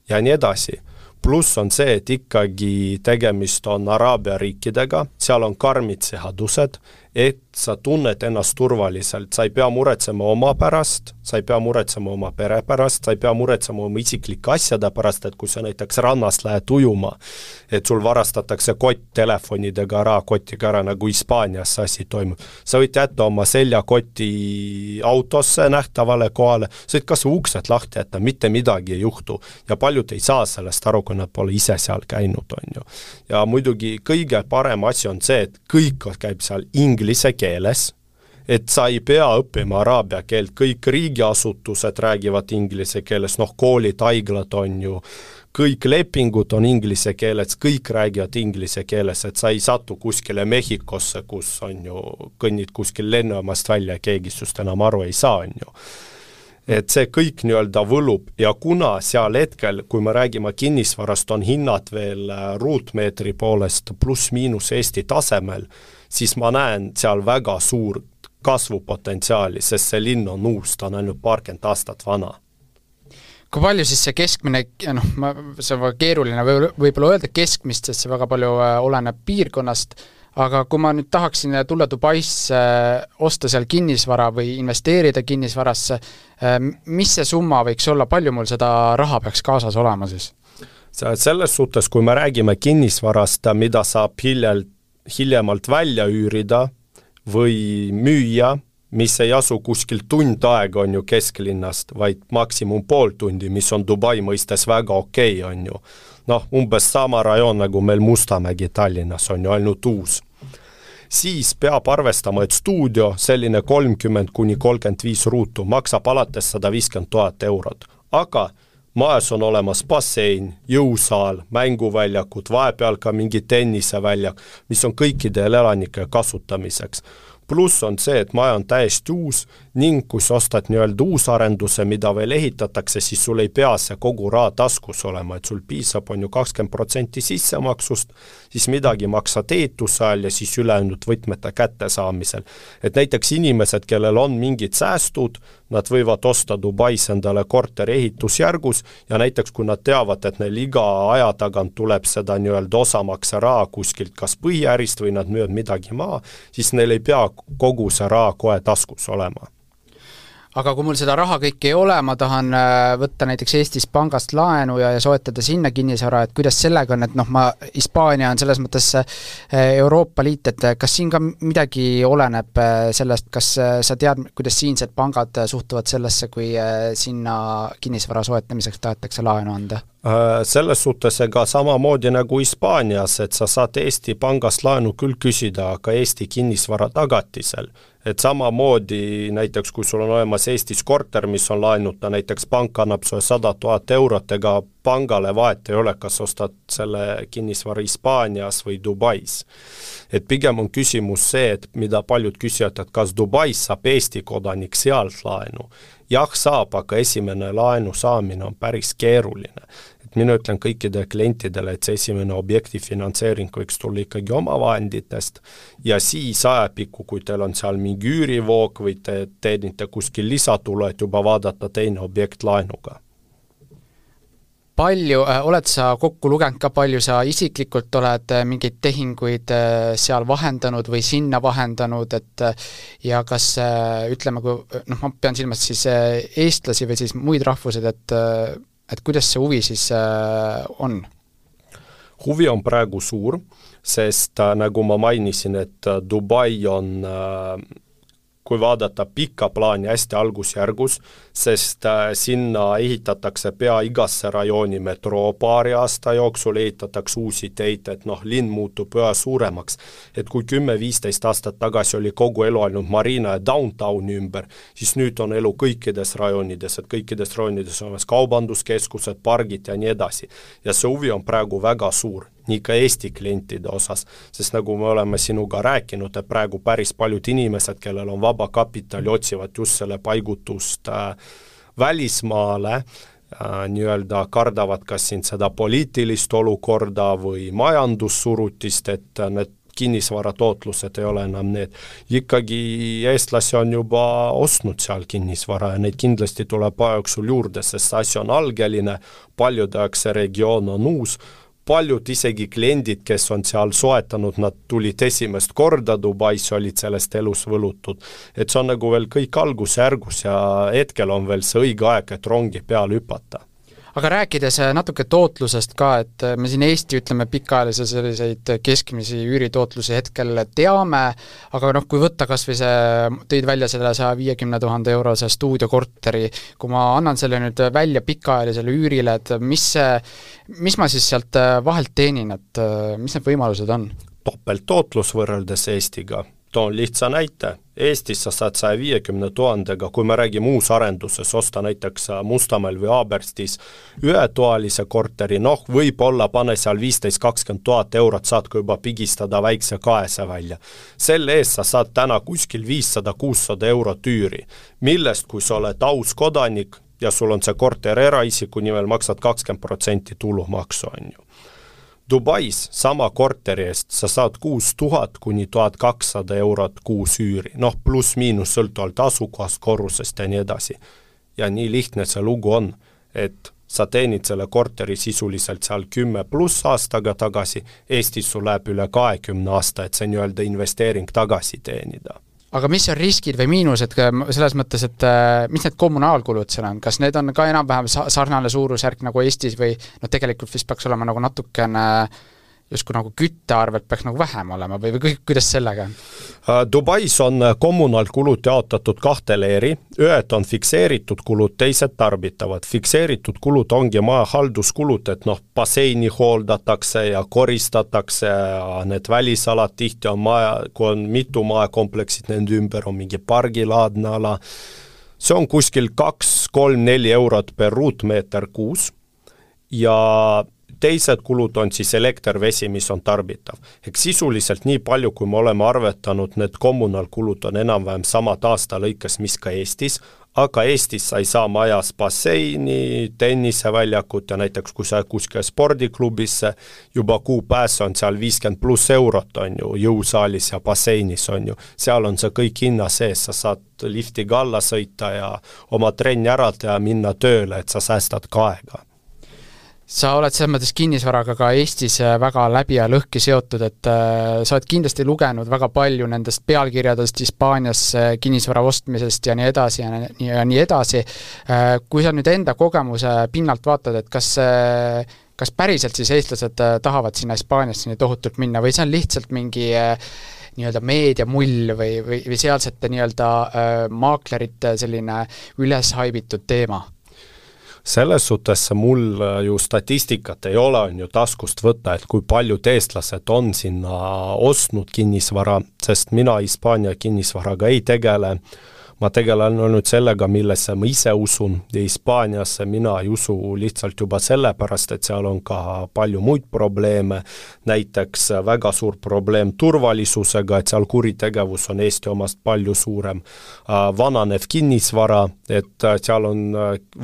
Speaker 2: ja nii edasi. Pluss on see, et ikkagi tegemist on Araabia riikidega, seal on karmid seadused, et sa tunned ennast turvaliselt, sa ei pea muretsema oma pärast, sa ei pea muretsema oma pere pärast, sa ei pea muretsema oma isiklike asjade pärast, et kui sa näiteks rannast lähed ujuma, et sul varastatakse kott telefonidega ära, kotiga ära, nagu Hispaanias asi toimub. Sa võid jätta oma seljakoti autosse nähtavale kohale, sa võid kas uksed lahti jätta, mitte midagi ei juhtu ja paljud ei saa sellest aru, kui nad pole ise seal käinud, on ju. Ja muidugi kõige parem asi on see, et kõik käib seal inglise keeles, et sa ei pea õppima araabia keelt, kõik riigiasutused räägivad inglise keeles, noh, koolid, haiglad on ju, kõik lepingud on inglise keeles, kõik räägivad inglise keeles, et sa ei satu kuskile Mehhikosse, kus on ju, kõnnid kuskil lennujaamast välja, keegi sust enam aru ei saa, on ju. Et see kõik nii-öelda võlub ja kuna seal hetkel, kui me räägime kinnisvarast, on hinnad veel ruutmeetri poolest pluss miinus Eesti tasemel, siis ma näen seal väga suur kasvupotentsiaali, sest see linn on uus, ta on ainult paarkümmend aastat vana.
Speaker 1: Kui palju siis see keskmine, noh, ma, see on keeruline võib-olla öelda keskmist, sest see väga palju oleneb piirkonnast, aga kui ma nüüd tahaksin tulla Dubaisse, osta seal kinnisvara või investeerida kinnisvarasse, mis see summa võiks olla, palju mul seda raha peaks kaasas olema siis?
Speaker 2: Selles suhtes, kui me räägime kinnisvarast, mida saab hiljalt, hiljemalt välja üürida või müüa, mis ei asu kuskil tund aega on ju kesklinnast, vaid maksimum pool tundi, mis on Dubai mõistes väga okei, on ju. Noh, umbes sama rajoon nagu meil Mustamägi Tallinnas on ju ainult uus. Siis peab arvestama, et stuudio, selline kolmkümmend kuni kolmkümmend viis ruutu, maksab alates sada viiskümmend tuhat eurot. Aga majas on olemas bassein, jõusaal, mänguväljakud, vahepeal ka mingi tenniseväljak, mis on kõikidel elanike kasutamiseks. Pluss on see, et maja on täiesti uus ning kui sa ostad nii-öelda uusarenduse, mida veel ehitatakse, siis sul ei pea see kogu raha taskus olema, et sul piisab on ju kakskümmend protsenti sissemaksust, siis midagi maksad ehituse ajal ja siis ülejäänud võtmete kättesaamisel. Et näiteks inimesed, kellel on mingid säästud, nad võivad osta Dubais endale korteri ehitusjärgus ja näiteks kui nad teavad, et neil iga aja tagant tuleb seda nii-öelda osamakse raha kuskilt kas põhiärist või nad müüvad midagi maa, siis neil ei pea kogu see raha kohe taskus olema.
Speaker 1: Aga kui mul seda raha kõik ei ole, ma tahan võtta näiteks Eestis pangast laenu ja, ja soetada sinna kinnisvara, et kuidas sellega on, et noh, ma, Hispaania on selles mõttes Euroopa Liit, et kas siin ka midagi oleneb sellest, kas sa tead, kuidas siinsed pangad suhtuvad sellesse, kui sinna kinnisvara soetamiseks tahetakse laenu anda?
Speaker 2: Selles suhtes ega samamoodi nagu Hispaanias, et sa saad Eesti pangast laenu küll küsida, aga Eesti kinnisvara tagatisel. Et samamoodi näiteks, kui sul on olemas Eestis korter, mis on laenuta, näiteks pank annab sulle sada tuhat eurot, ega pangale vahet ei ole, kas ostad selle kinnisvara Hispaanias või Dubais. Et pigem on küsimus see, et mida paljud küsivad, et kas Dubais saab Eesti kodanik sealt laenu. Jah, saab, aga esimene laenu saamine on päris keeruline. Et mina ütlen kõikide klientidele, et see esimene objekti finantseering võiks tulla ikkagi oma vahenditest ja siis ajapikku, kui teil on seal mingi üürivoog või te teenite kuskil lisatulu, et juba vaadata teine objekt laenuga.
Speaker 1: Palju, äh, oled sa kokku lugenud ka palju, sa isiklikult oled äh, mingeid tehinguid äh, seal vahendanud või sinna vahendanud, et äh, ja kas äh, ütleme, kui, noh, ma pean silmas siis äh, eestlasi või siis muid rahvused, et, äh, et kuidas see huvi siis äh, on?
Speaker 2: Huvi on praegu suur, sest äh, nagu ma mainisin, et äh, Dubai on äh, kui vaadata pikka plaani hästi algusjärgus, sest äh, sinna ehitatakse pea igasse rajooni metroo paari aasta jooksul, ehitatakse uusi teid, et noh, linn muutub üha suuremaks. Et kui kümme viisteist aastat tagasi oli kogu elu ainult Marina ja Downtowni ümber, siis nüüd on elu kõikides rajoonides, et kõikides rajoonides on kaubanduskeskused, pargid ja nii edasi. Ja see huvi on praegu väga suur, nii ka Eesti klientide osas, sest nagu me oleme sinuga rääkinud, et praegu päris paljud inimesed, kellel on vaba kapitali, otsivad just selle paigutust äh, välismaale, äh, nii-öelda kardavad kas siin seda poliitilist olukorda või majandussurutist, et need kinnisvaratootlused ei ole enam need. Ikkagi eestlasi on juba ostnud seal kinnisvara ja neid kindlasti tuleb ajajooksul juurde, sest see asi on algeline, paljude jaoks see regioon on uus, paljud isegi kliendid, kes on seal soetanud, nad tulid esimest korda Dubais, olid sellest elus võlutud. Et see on nagu veel kõik algusjärgus ja hetkel on veel see õige aeg, et rongi peale hüpata.
Speaker 1: Aga rääkides natuke tootlusest ka, et me siin Eesti, ütleme, pikaajalise selliseid keskmisi üüritootluse hetkel teame, aga noh, kui võtta kas või see, tõid välja selle saja viiekümne tuhande eurose stuudiokorteri, kui ma annan selle nüüd välja pikaajalisele üürile, et mis, mis ma siis sealt vahelt teenin, et mis need võimalused on?
Speaker 2: Topelttootlus võrreldes Eestiga. Toon lihtsa näite. Eestis sa saad saja viiekümne tuhandega, kui me räägime uusarenduses, osta näiteks Mustamäel või Aaberstis ühetoalise korteri, noh, võib-olla pane seal viisteist kakskümmend tuhat eurot, saad ka juba pigistada väikse kaese välja. Selle eest sa saad täna kuskil viissada kuussada eurot üüri, millest kui sa oled aus kodanik ja sul on see korter eraisiku nimel, maksad kakskümmend protsenti tulumaksu, on ju. Dubais sama korteri eest sa saad kuus tuhat kuni tuhat kakssada eurot kuus üüri, noh pluss miinus sõltuvalt asukohast, korrusest ja nii edasi. Ja nii lihtne see lugu on, et sa teenid selle korteri sisuliselt seal kümme pluss aastaga tagasi, Eestis sul läheb üle kahekümne aasta, et see nii-öelda investeering tagasi teenida.
Speaker 1: Aga mis on riskid või miinused selles mõttes, et mis need kommunaalkulud seal on? Kas need on ka enam-vähem sarnane suurusjärk nagu Eestis või no tegelikult vist peaks olema nagu natukene justkui nagu küttearvelt peaks nagu vähem olema või, või kuidas sellega?
Speaker 2: Dubais on kommunaalkulud jaotatud kahte leeri, ühed on fikseeritud kulud, teised tarbitavad. Fikseeritud kulud ongi maja halduskulud, et noh, baseini hooldatakse ja koristatakse ja need välisalad tihti on maja, kui on mitu majakompleksid, nende ümber on mingi pargilaadne ala. See on kuskil kaks, kolm, neli eurot per ruutmeeter kuus ja teised kulud on siis elekter, vesi, mis on tarbitav. Ehk sisuliselt nii palju, kui me oleme arvetanud, need kommunaalkulud on enam-vähem samad aasta lõikes, mis ka Eestis, aga Eestis sa ei saa majas basseini, tenniseväljakut ja näiteks kui sa kuskil spordiklubisse, juba kuu pääs on seal viiskümmend pluss eurot on ju, jõusaalis ja basseinis on ju. Seal on see kõik hinna sees, sa saad liftiga alla sõita ja oma trenni ära teha, minna tööle, et sa säästad ka aega.
Speaker 1: Sa oled selles mõttes kinnisvaraga ka Eestis väga läbi ja lõhki seotud, et äh, sa oled kindlasti lugenud väga palju nendest pealkirjadest Hispaanias kinnisvara ostmisest ja nii edasi ja nii, ja nii edasi. Äh, kui sa nüüd enda kogemuse pinnalt vaatad, et kas, äh, kas päriselt siis eestlased äh, tahavad sinna Hispaaniasse nii tohutult minna või see on lihtsalt mingi äh, nii-öelda meediamull või, või, või sealsete nii-öelda äh, maaklerite selline üleshaibitud teema?
Speaker 2: Selles suhtes mul ju statistikat ei ole, on ju taskust võtta, et kui paljud eestlased on sinna ostnud kinnisvara, sest mina Hispaania kinnisvaraga ei tegele. ma tegelen olnud sellega, millesse ma ise usun ja Hispaaniasse mina ei usu lihtsalt juba sellepärast, et seal on ka palju muid probleeme, näiteks väga suur probleem turvalisusega, et seal kuritegevus on Eesti omast palju suurem, vananev kinnisvara, et seal on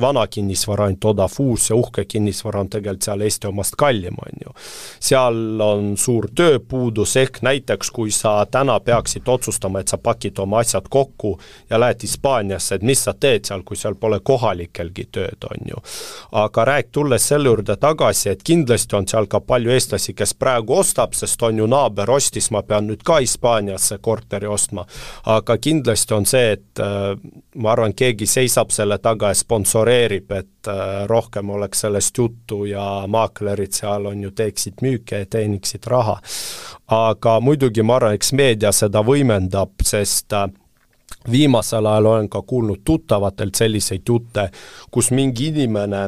Speaker 2: vana kinnisvara ainult odav, uus ja uhke kinnisvara on tegelikult seal Eesti omast kallim, on ju. Seal on suur tööpuudus, ehk näiteks kui sa täna peaksid otsustama, et sa pakid oma asjad kokku ja lähed Hispaaniasse, et mis sa teed seal, kui seal pole kohalikelgi tööd, on ju. Aga rääk tulles selle juurde tagasi, et kindlasti on seal ka palju eestlasi, kes praegu ostab, sest on ju naaber ostis, ma pean nüüd ka Hispaaniasse korteri ostma. Aga kindlasti on see, et äh, ma arvan, keegi seisab selle taga ja sponsoreerib, et äh, rohkem oleks sellest juttu ja maaklerid seal on ju teeksid müüke ja teeniksid raha. Aga muidugi ma arvan, eks meedia seda võimendab, sest äh, viimasel ajal olen ka kuulnud tuttavatelt selliseid jutte, kus mingi inimene,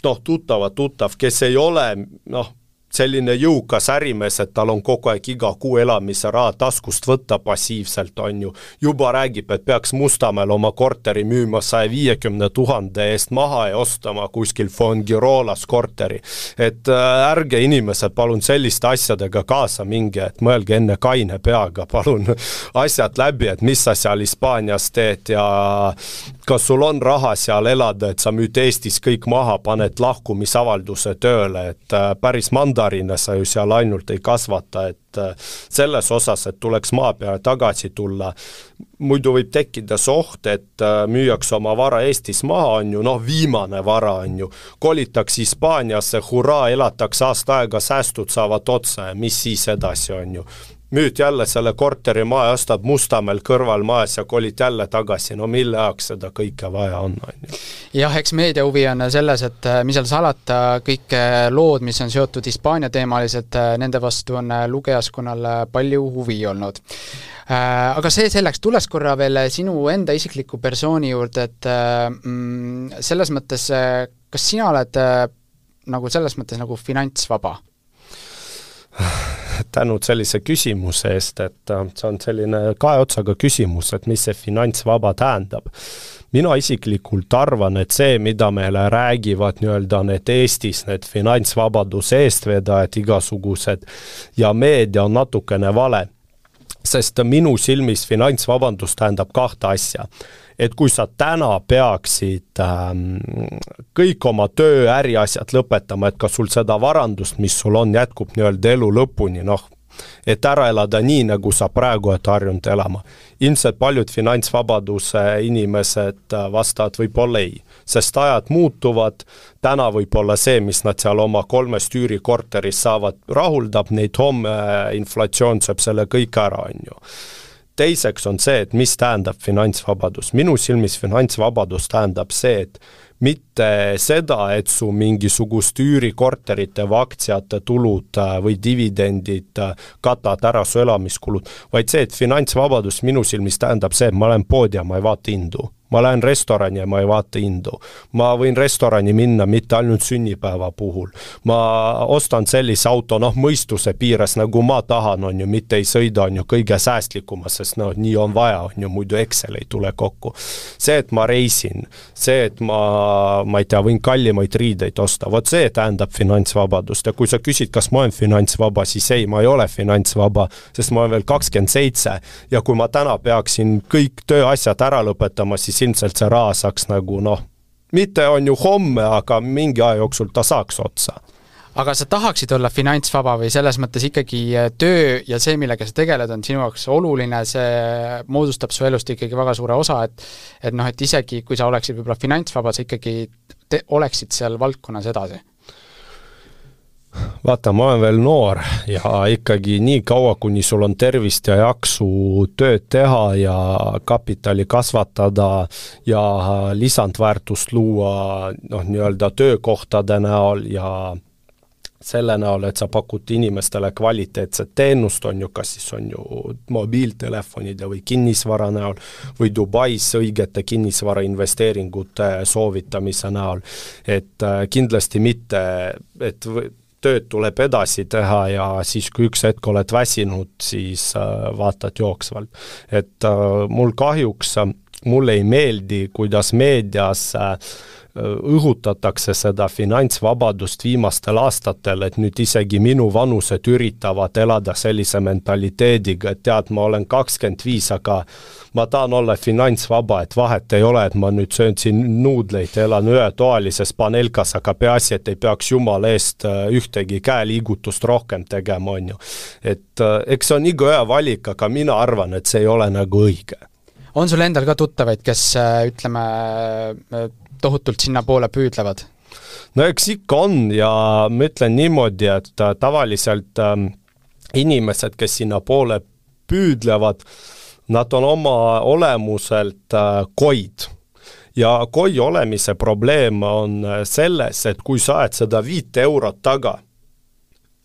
Speaker 2: noh, tuttava tuttav, kes ei ole, noh, selline jõukas ärimees, et tal on kogu aeg iga kuu elamise raha taskust võtta passiivselt, on ju. Juba räägib, et peaks Mustamäel oma korteri müüma saja viiekümne tuhande eest maha ja ostama kuskil Fongirolas korteri. Et ärge inimesed palun selliste asjadega kaasa minge, et mõelge enne kaine peaga, palun asjad läbi, et mis sa seal Hispaanias teed ja kas sul on raha seal elada, et sa müüd Eestis kõik maha, paned lahkumisavalduse tööle, et päris mandarine sa ju seal ainult ei kasvata, et selles osas, et tuleks maa peale tagasi tulla. Muidu võib tekkida soht, et müüaks oma vara Eestis maha, on ju, noh, viimane vara on ju, kolitaks Hispaaniasse, hurraa, elataks aasta aega, säästud saavad otsa ja mis siis edasi on ju. Müüd jälle selle korteri maa ja ostad Mustamäel kõrval majas ja kolid jälle tagasi, no mille ajaks seda kõike vaja on, on ju.
Speaker 1: Jah, eks meedia huvi on selles, et mis seal salata, kõik lood, mis on seotud Hispaania teemaliselt, nende vastu on lugejaskonnal palju huvi olnud. Aga see selleks, tulles korra veel sinu enda isikliku persooni juurde, et mm, selles mõttes, kas sina oled nagu selles mõttes nagu finantsvaba?
Speaker 2: Tänud sellise küsimuse eest, et see on selline kahe otsaga küsimus, et mis see finantsvaba tähendab. Mina isiklikult arvan, et see, mida meile räägivad nii-öelda need Eestis, need finantsvabaduse eestvedajad igasugused ja meedia on natukene vale, sest minu silmis finantsvabandus tähendab kahte asja. Et kui sa täna peaksid ähm, kõik oma töö äriasjad lõpetama, et kas sul seda varandust, mis sul on, jätkub nii-öelda elu lõpuni, noh, et ära elada nii, nagu sa praegu et harjunud elama. Ilmselt paljud finantsvabaduse inimesed vastavad võib-olla ei, sest ajad muutuvad, täna võib-olla see, mis nad seal oma kolmest üürikorteris saavad, rahuldab neid, homme inflatsioon sööb selle kõik ära, on ju. Teiseks on see, et mis tähendab finantsvabadus. Minu silmis finantsvabadus tähendab see, et mitte seda, et su mingisugust üürikorterite või aktsiate tulud või dividendid katad ära su elamiskulud, vaid see, et finantsvabadus minu silmis tähendab see, et ma olen pood ja ma ei vaata hindu. Ma lähen restorani ja ma ei vaata hindu. Ma võin restorani minna mitte ainult sünnipäeva puhul. Ma ostan sellise auto, noh, mõistuse piires, nagu ma tahan, on ju, mitte ei sõida, on ju, kõige säästlikuma, sest no, nii on vaja, on ju, muidu Excel ei tule kokku. See, et ma reisin, see, et ma, ma ei tea, võin kallimaid riideid osta, vot see tähendab finantsvabadust. Ja kui sa küsid, kas ma olen finantsvaba, siis ei, ma ei ole finantsvaba, sest ma olen veel kakskümmend seitse ja kui ma täna peaksin kõik tööasjad ära lõpetama, siis ilmselt see raha saaks nagu, noh, mitte on ju homme, aga mingi aja jooksul ta saaks otsa.
Speaker 1: Aga sa tahaksid olla finantsvaba või selles mõttes ikkagi töö ja see, millega sa tegeled, on sinu jaoks oluline, see moodustab su elust ikkagi väga suure osa, et, et noh, et isegi kui sa oleksid võib-olla finantsvaba, sa ikkagi te, oleksid seal valdkonnas edasi?
Speaker 2: Vaata, ma olen veel noor ja ikkagi nii kaua, kuni sul on tervist ja jaksu tööd teha ja kapitali kasvatada ja lisandväärtust luua, noh, nii-öelda töökohtade näol ja selle näol, et sa pakud inimestele kvaliteetset teenust, on ju, kas siis on ju mobiiltelefonide või kinnisvara näol või Dubais õigete kinnisvara investeeringute soovitamise näol, et kindlasti mitte, et tööd tuleb edasi teha ja siis, kui üks hetk oled väsinud, siis vaatad jooksvalt. Et mul kahjuks mulle ei meeldi, kuidas meedias õhutatakse seda finantsvabadust viimastel aastatel, et nüüd isegi minu vanused üritavad elada sellise mentaliteediga, et tead, ma olen kakskümmend viis, aga ma tahan olla finantsvaba, et vahet ei ole, et ma nüüd söön siin nuudleid, elan ühetoalises panelkas, aga peaasi, et ei peaks jumala eest ühtegi käeliigutust rohkem tegema, on ju. Et eks see on iga ühe valik, aga mina arvan, et see ei ole nagu õige.
Speaker 1: On sul endal ka tuttavaid, kes ütleme tohutult sinna poole püüdlevad?
Speaker 2: No eks ikka on ja ma ütlen niimoodi, et tavaliselt ähm, inimesed, kes sinna poole püüdlevad, nad on oma olemuselt äh, koid. Ja koi olemise probleem on selles, et kui sa ajad seda viite eurot taga,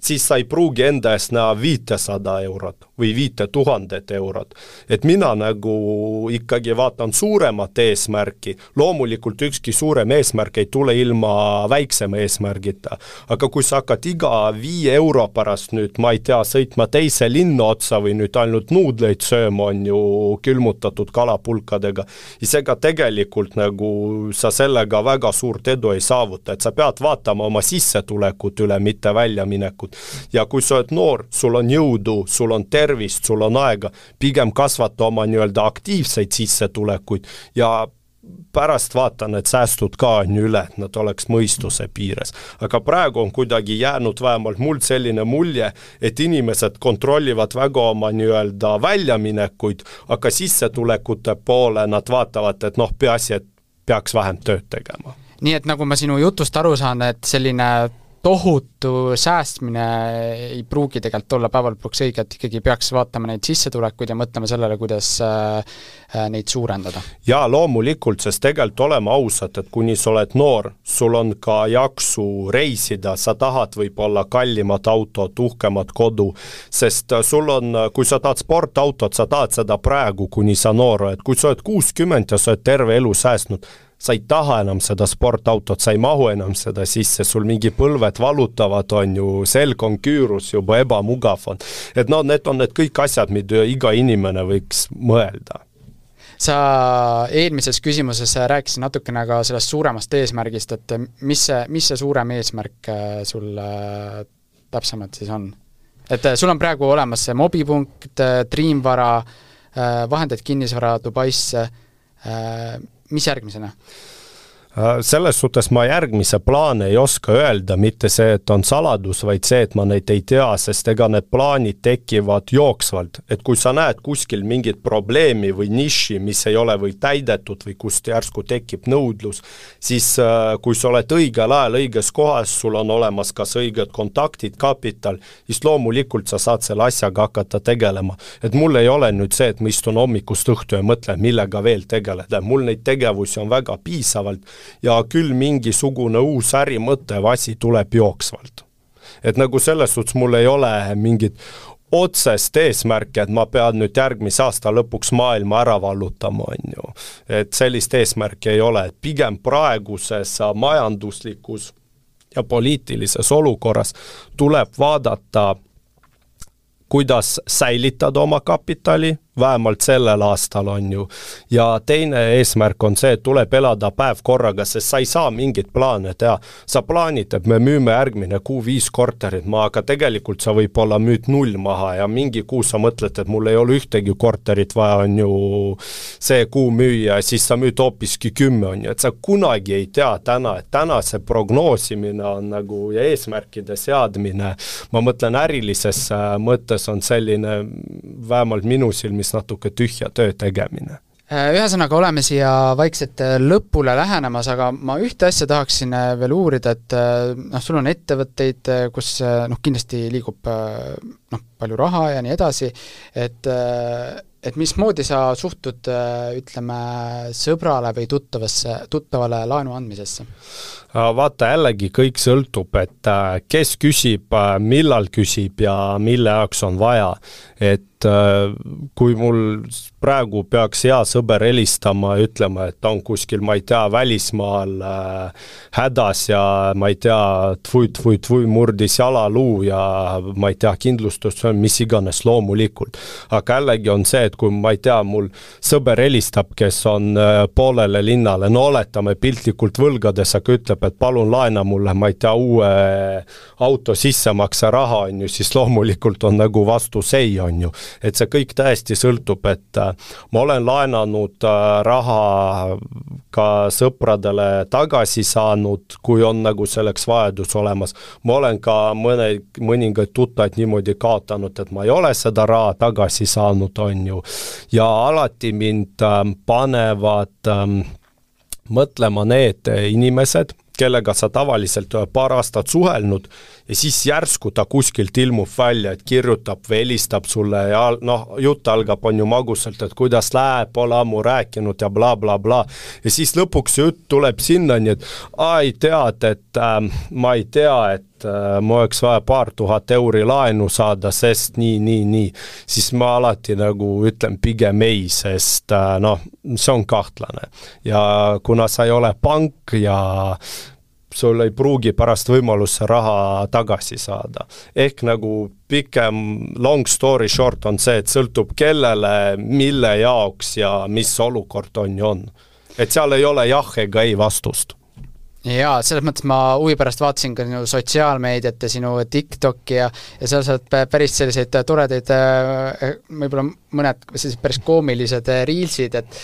Speaker 2: siis sa ei pruugi enda eest näha viitesada eurot või viite tuhandet eurot. Et mina nagu ikkagi vaatan suuremat eesmärki. Loomulikult ükski suurem eesmärk ei tule ilma väiksema eesmärgita. Aga kui sa hakkad iga viie euro pärast nüüd, ma ei tea, sõitma teise linna otsa või nüüd ainult nuudleid sööma on ju külmutatud kalapulkadega, isega tegelikult nagu sa sellega väga suurt edu ei saavuta, et sa pead vaatama oma sissetulekut üle, mitte väljaminekut. Ja kui sa oled noor, sul on jõudu, sul on tervist, sul on aega, pigem kasvata oma nii-öelda aktiivseid sissetulekuid ja pärast vaatan, et säästud ka on üle, et nad oleks mõistuse piires. Aga praegu on kuidagi jäänud vähemalt mul selline mulje, et inimesed kontrollivad väga oma nii-öelda väljaminekuid, aga sissetulekute poole nad vaatavad, et noh, peaasi, et peaks vähem tööd tegema.
Speaker 1: Nii et nagu ma sinu jutust aru saan, et selline tohutu säästmine ei pruugi tegelikult olla päeval lõpuks õige, et ikkagi peaks vaatama neid sissetulekuid ja mõtlema sellele, kuidas neid suurendada.
Speaker 2: Ja loomulikult, sest tegelikult olema ausad, et kuni sa oled noor, sul on ka jaksu reisida, sa tahad võib-olla kallimat autot, uhkemat kodu, sest sul on, kui sa tahad sportautot, sa tahad seda praegu, kuni sa noor, et kui sa oled kuuskümmend ja sa oled terve elu säästnud, sa ei taha enam seda sportautot, sa ei mahu enam seda sisse, sul mingi põlved valutavad, on ju, selg on küürus, juba ebamugav on. Et no need on need kõik asjad, mida iga inimene võiks mõelda.
Speaker 1: Sa eelmises küsimuses rääkisid natukene ka sellest suuremast eesmärgist, et mis see, mis see suurem eesmärk sul täpsemalt siis on? Et sul on praegu olemas see mobipunkt, Dreamvara, vahendid kinnisvara Dubaisse, mis järgmisena?
Speaker 2: Selles suhtes ma järgmise plaane ei oska öelda, mitte see, et on saladus, vaid see, et ma neid ei tea, sest ega need plaanid tekivad jooksvalt. Et kui sa näed kuskil mingit probleemi või niši, mis ei ole või täidetud või kust järsku tekib nõudlus, siis kui sa oled õigel ajal õiges kohas, sul on olemas kas õiged kontaktid, kapital, siis loomulikult sa saad selle asjaga hakata tegelema. Et mul ei ole nüüd see, et ma istun hommikust õhtu ja mõtlen, millega veel tegeleda. Mul neid tegevusi on väga piisavalt, ja küll mingisugune uus ärimõte või asi tuleb jooksvalt. Et nagu selles suhtes mul ei ole mingit otsest eesmärki, et ma pean nüüd järgmise aasta lõpuks maailma ära vallutama, on ju. Et sellist eesmärki ei ole, et pigem praeguses majanduslikus ja poliitilises olukorras tuleb vaadata, kuidas säilitada oma kapitali, vähemalt sellel aastal on ju. Ja teine eesmärk on see, et tuleb elada päev korraga, sest sa ei saa mingit plaane teha. Sa plaanid, et me müüme järgmine kuu viis korterit maha, aga tegelikult sa võib olla müüd null maha ja mingi kuu sa mõtled, et mul ei ole ühtegi korterit vaja, on ju see kuu müüa, siis sa müüd hoopiski kümme, on ju. Et sa kunagi ei tea täna, et täna see prognoosimine on nagu ja eesmärkide seadmine. Ma mõtlen ärilises mõttes on selline vähemalt minu silmis natuke tühja töö tegemine.
Speaker 1: Ühesõnaga oleme siia vaikselt lõpule lähenemas, aga ma ühte asja tahaksin veel uurida, et noh, sul on ettevõtteid, kus noh, kindlasti liigub noh, palju raha ja nii edasi, et, et mismoodi sa suhtud, ütleme, sõbrale või tuttavasse, tuttavale laenu andmisesse?
Speaker 2: Vaata, jällegi kõik sõltub, et kes küsib, millal küsib ja mille jaoks on vaja. Et kui mul praegu peaks hea sõber helistama ja ütlema, et ta on kuskil, ma ei tea, välismaal äh, hädas ja ma ei tea, tvui, tvui, tvui murdis jalaluu ja ma ei tea, kindlustus, mis iganes loomulikult. Aga jällegi on see, et kui ma ei tea, mul sõber helistab, kes on äh, poolele linnale, no oletame piltlikult võlgades, aga ütleb, et palun laena mulle, ma ei tea, uue auto sissemakse raha on ju, siis loomulikult on nagu vastus ei on ju. Et see kõik täiesti sõltub, et äh, ma olen laenanud äh, raha ka sõpradele tagasi saanud, kui on nagu selleks vajadus olemas. Ma olen ka mõne, mõningaid tuttaid niimoodi kaotanud, et ma ei ole seda raha tagasi saanud, on ju. Ja alati mind äh, panevad äh, mõtlema need inimesed, kellega sa tavaliselt paar aastat suhelnud ja siis järsku ta kuskilt ilmub välja, et kirjutab või helistab sulle ja noh, jutt algab on ju magusalt, et kuidas läheb, pole ammu rääkinud ja bla bla bla. Ja siis lõpuks jutt tuleb sinna, nii et ai tead, et äh, ma ei tea, et äh, ma oleks vaja paar tuhat euri laenu saada, sest nii, nii, nii. Siis ma alati nagu ütlen pigem ei, sest äh, noh, see on kahtlane. Ja kuna sa ei ole pank ja sul ei pruugi pärast võimaluse raha tagasi saada. Ehk nagu pikem long story short on see, et sõltub kellele, mille jaoks ja mis olukord on ja on. Et seal ei ole jah ega ei vastust.
Speaker 1: Jaa, selles mõttes ma huvi pärast vaatasin ka sinu sotsiaalmeediat ja sinu TikToki ja, ja seal saad päris selliseid toredaid, võib-olla mõned sellised päris koomilised riilsid, et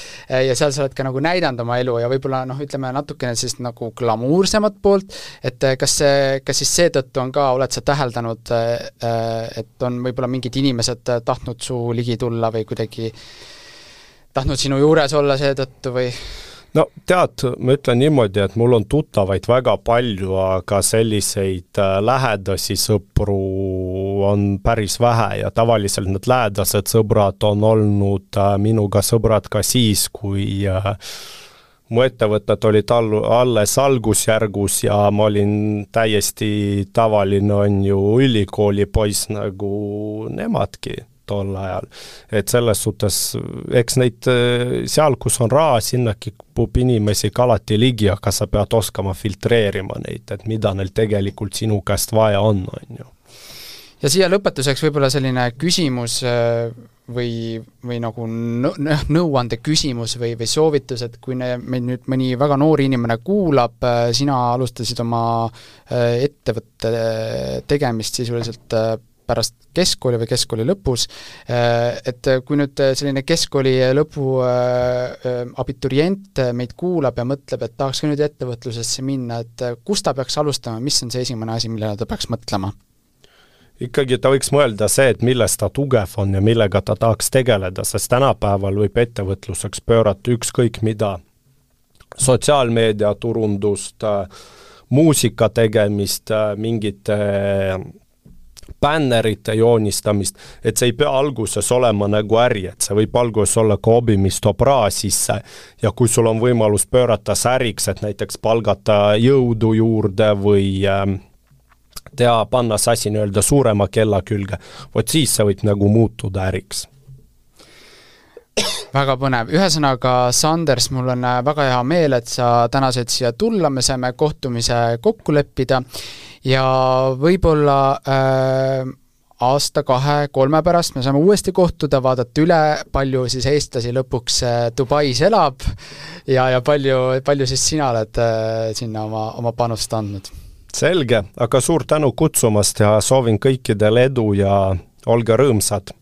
Speaker 1: ja seal sa oled ka nagu näidanud oma elu ja võib-olla noh, ütleme natukene siis nagu glamuursemat poolt, et kas, kas siis seetõttu on ka, oled sa täheldanud, et on võib-olla mingid inimesed tahtnud su ligi tulla või kuidagi tahtnud sinu juures olla seetõttu või...
Speaker 2: No tead, ma ütlen niimoodi, et mul on tuttavaid väga palju, aga selliseid lähedasi sõpru on päris vähe ja tavaliselt need lähedased sõbrad on olnud minuga sõbrad ka siis, kui mu ettevõtted olid alles algusjärgus ja ma olin täiesti tavaline on ju ülikooli poiss nagu nemadki tol ajal. Et selles suhtes, eks neid seal, kus on raha, sinnaki pup inimesi alati ligi, aga sa pead oskama filtreerima neid, et mida neil tegelikult sinu käest vaja on, on ju.
Speaker 1: Ja siia lõpetuseks võib-olla selline küsimus või, või nagu nõuande küsimus või, või soovitus, et kui ne, meil nüüd mõni väga noori inimene kuulab, sina alustasid oma ettevõtte tegemist sisuliselt pärast keskkooli või keskkooli lõpus, et kui nüüd selline keskkooli lõpu abiturient meid kuulab ja mõtleb, et tahaks ka nüüd ettevõtlusesse minna, et kus ta peaks alustama, mis on see esimene asi, millele ta peaks mõtlema?
Speaker 2: Ikkagi ta võiks mõelda see, et milles ta tugev on ja millega ta tahaks tegeleda, sest tänapäeval võib ettevõtluseks pöörata ükskõik mida, sotsiaalmeedia turundust, muusika tegemist, mingite bännerite joonistamist, et see ei pea alguses olema nagu äri, et see võib alguses olla ka hobi, mis toob raha sisse ja kui sul on võimalus pöörata säriks, et näiteks palgata jõudu juurde või tea, panna see asi nii-öelda suurema kella külge, vot siis see võib nagu muutuda äriks.
Speaker 1: Väga põnev. Ühesõnaga, Sanders, mul on väga hea meel, et sa täna said siia tulla, me saime kohtumise kokku leppida ja võib-olla äh, aasta, kahe, kolme pärast me saame uuesti kohtuda, vaadata üle, palju siis eestlasi lõpuks Dubais elab ja, ja palju, palju siis sina oled äh, sinna oma, oma panust andnud.
Speaker 2: Selge, aga suur tänu kutsumast ja soovin kõikidele edu ja olge rõõmsad.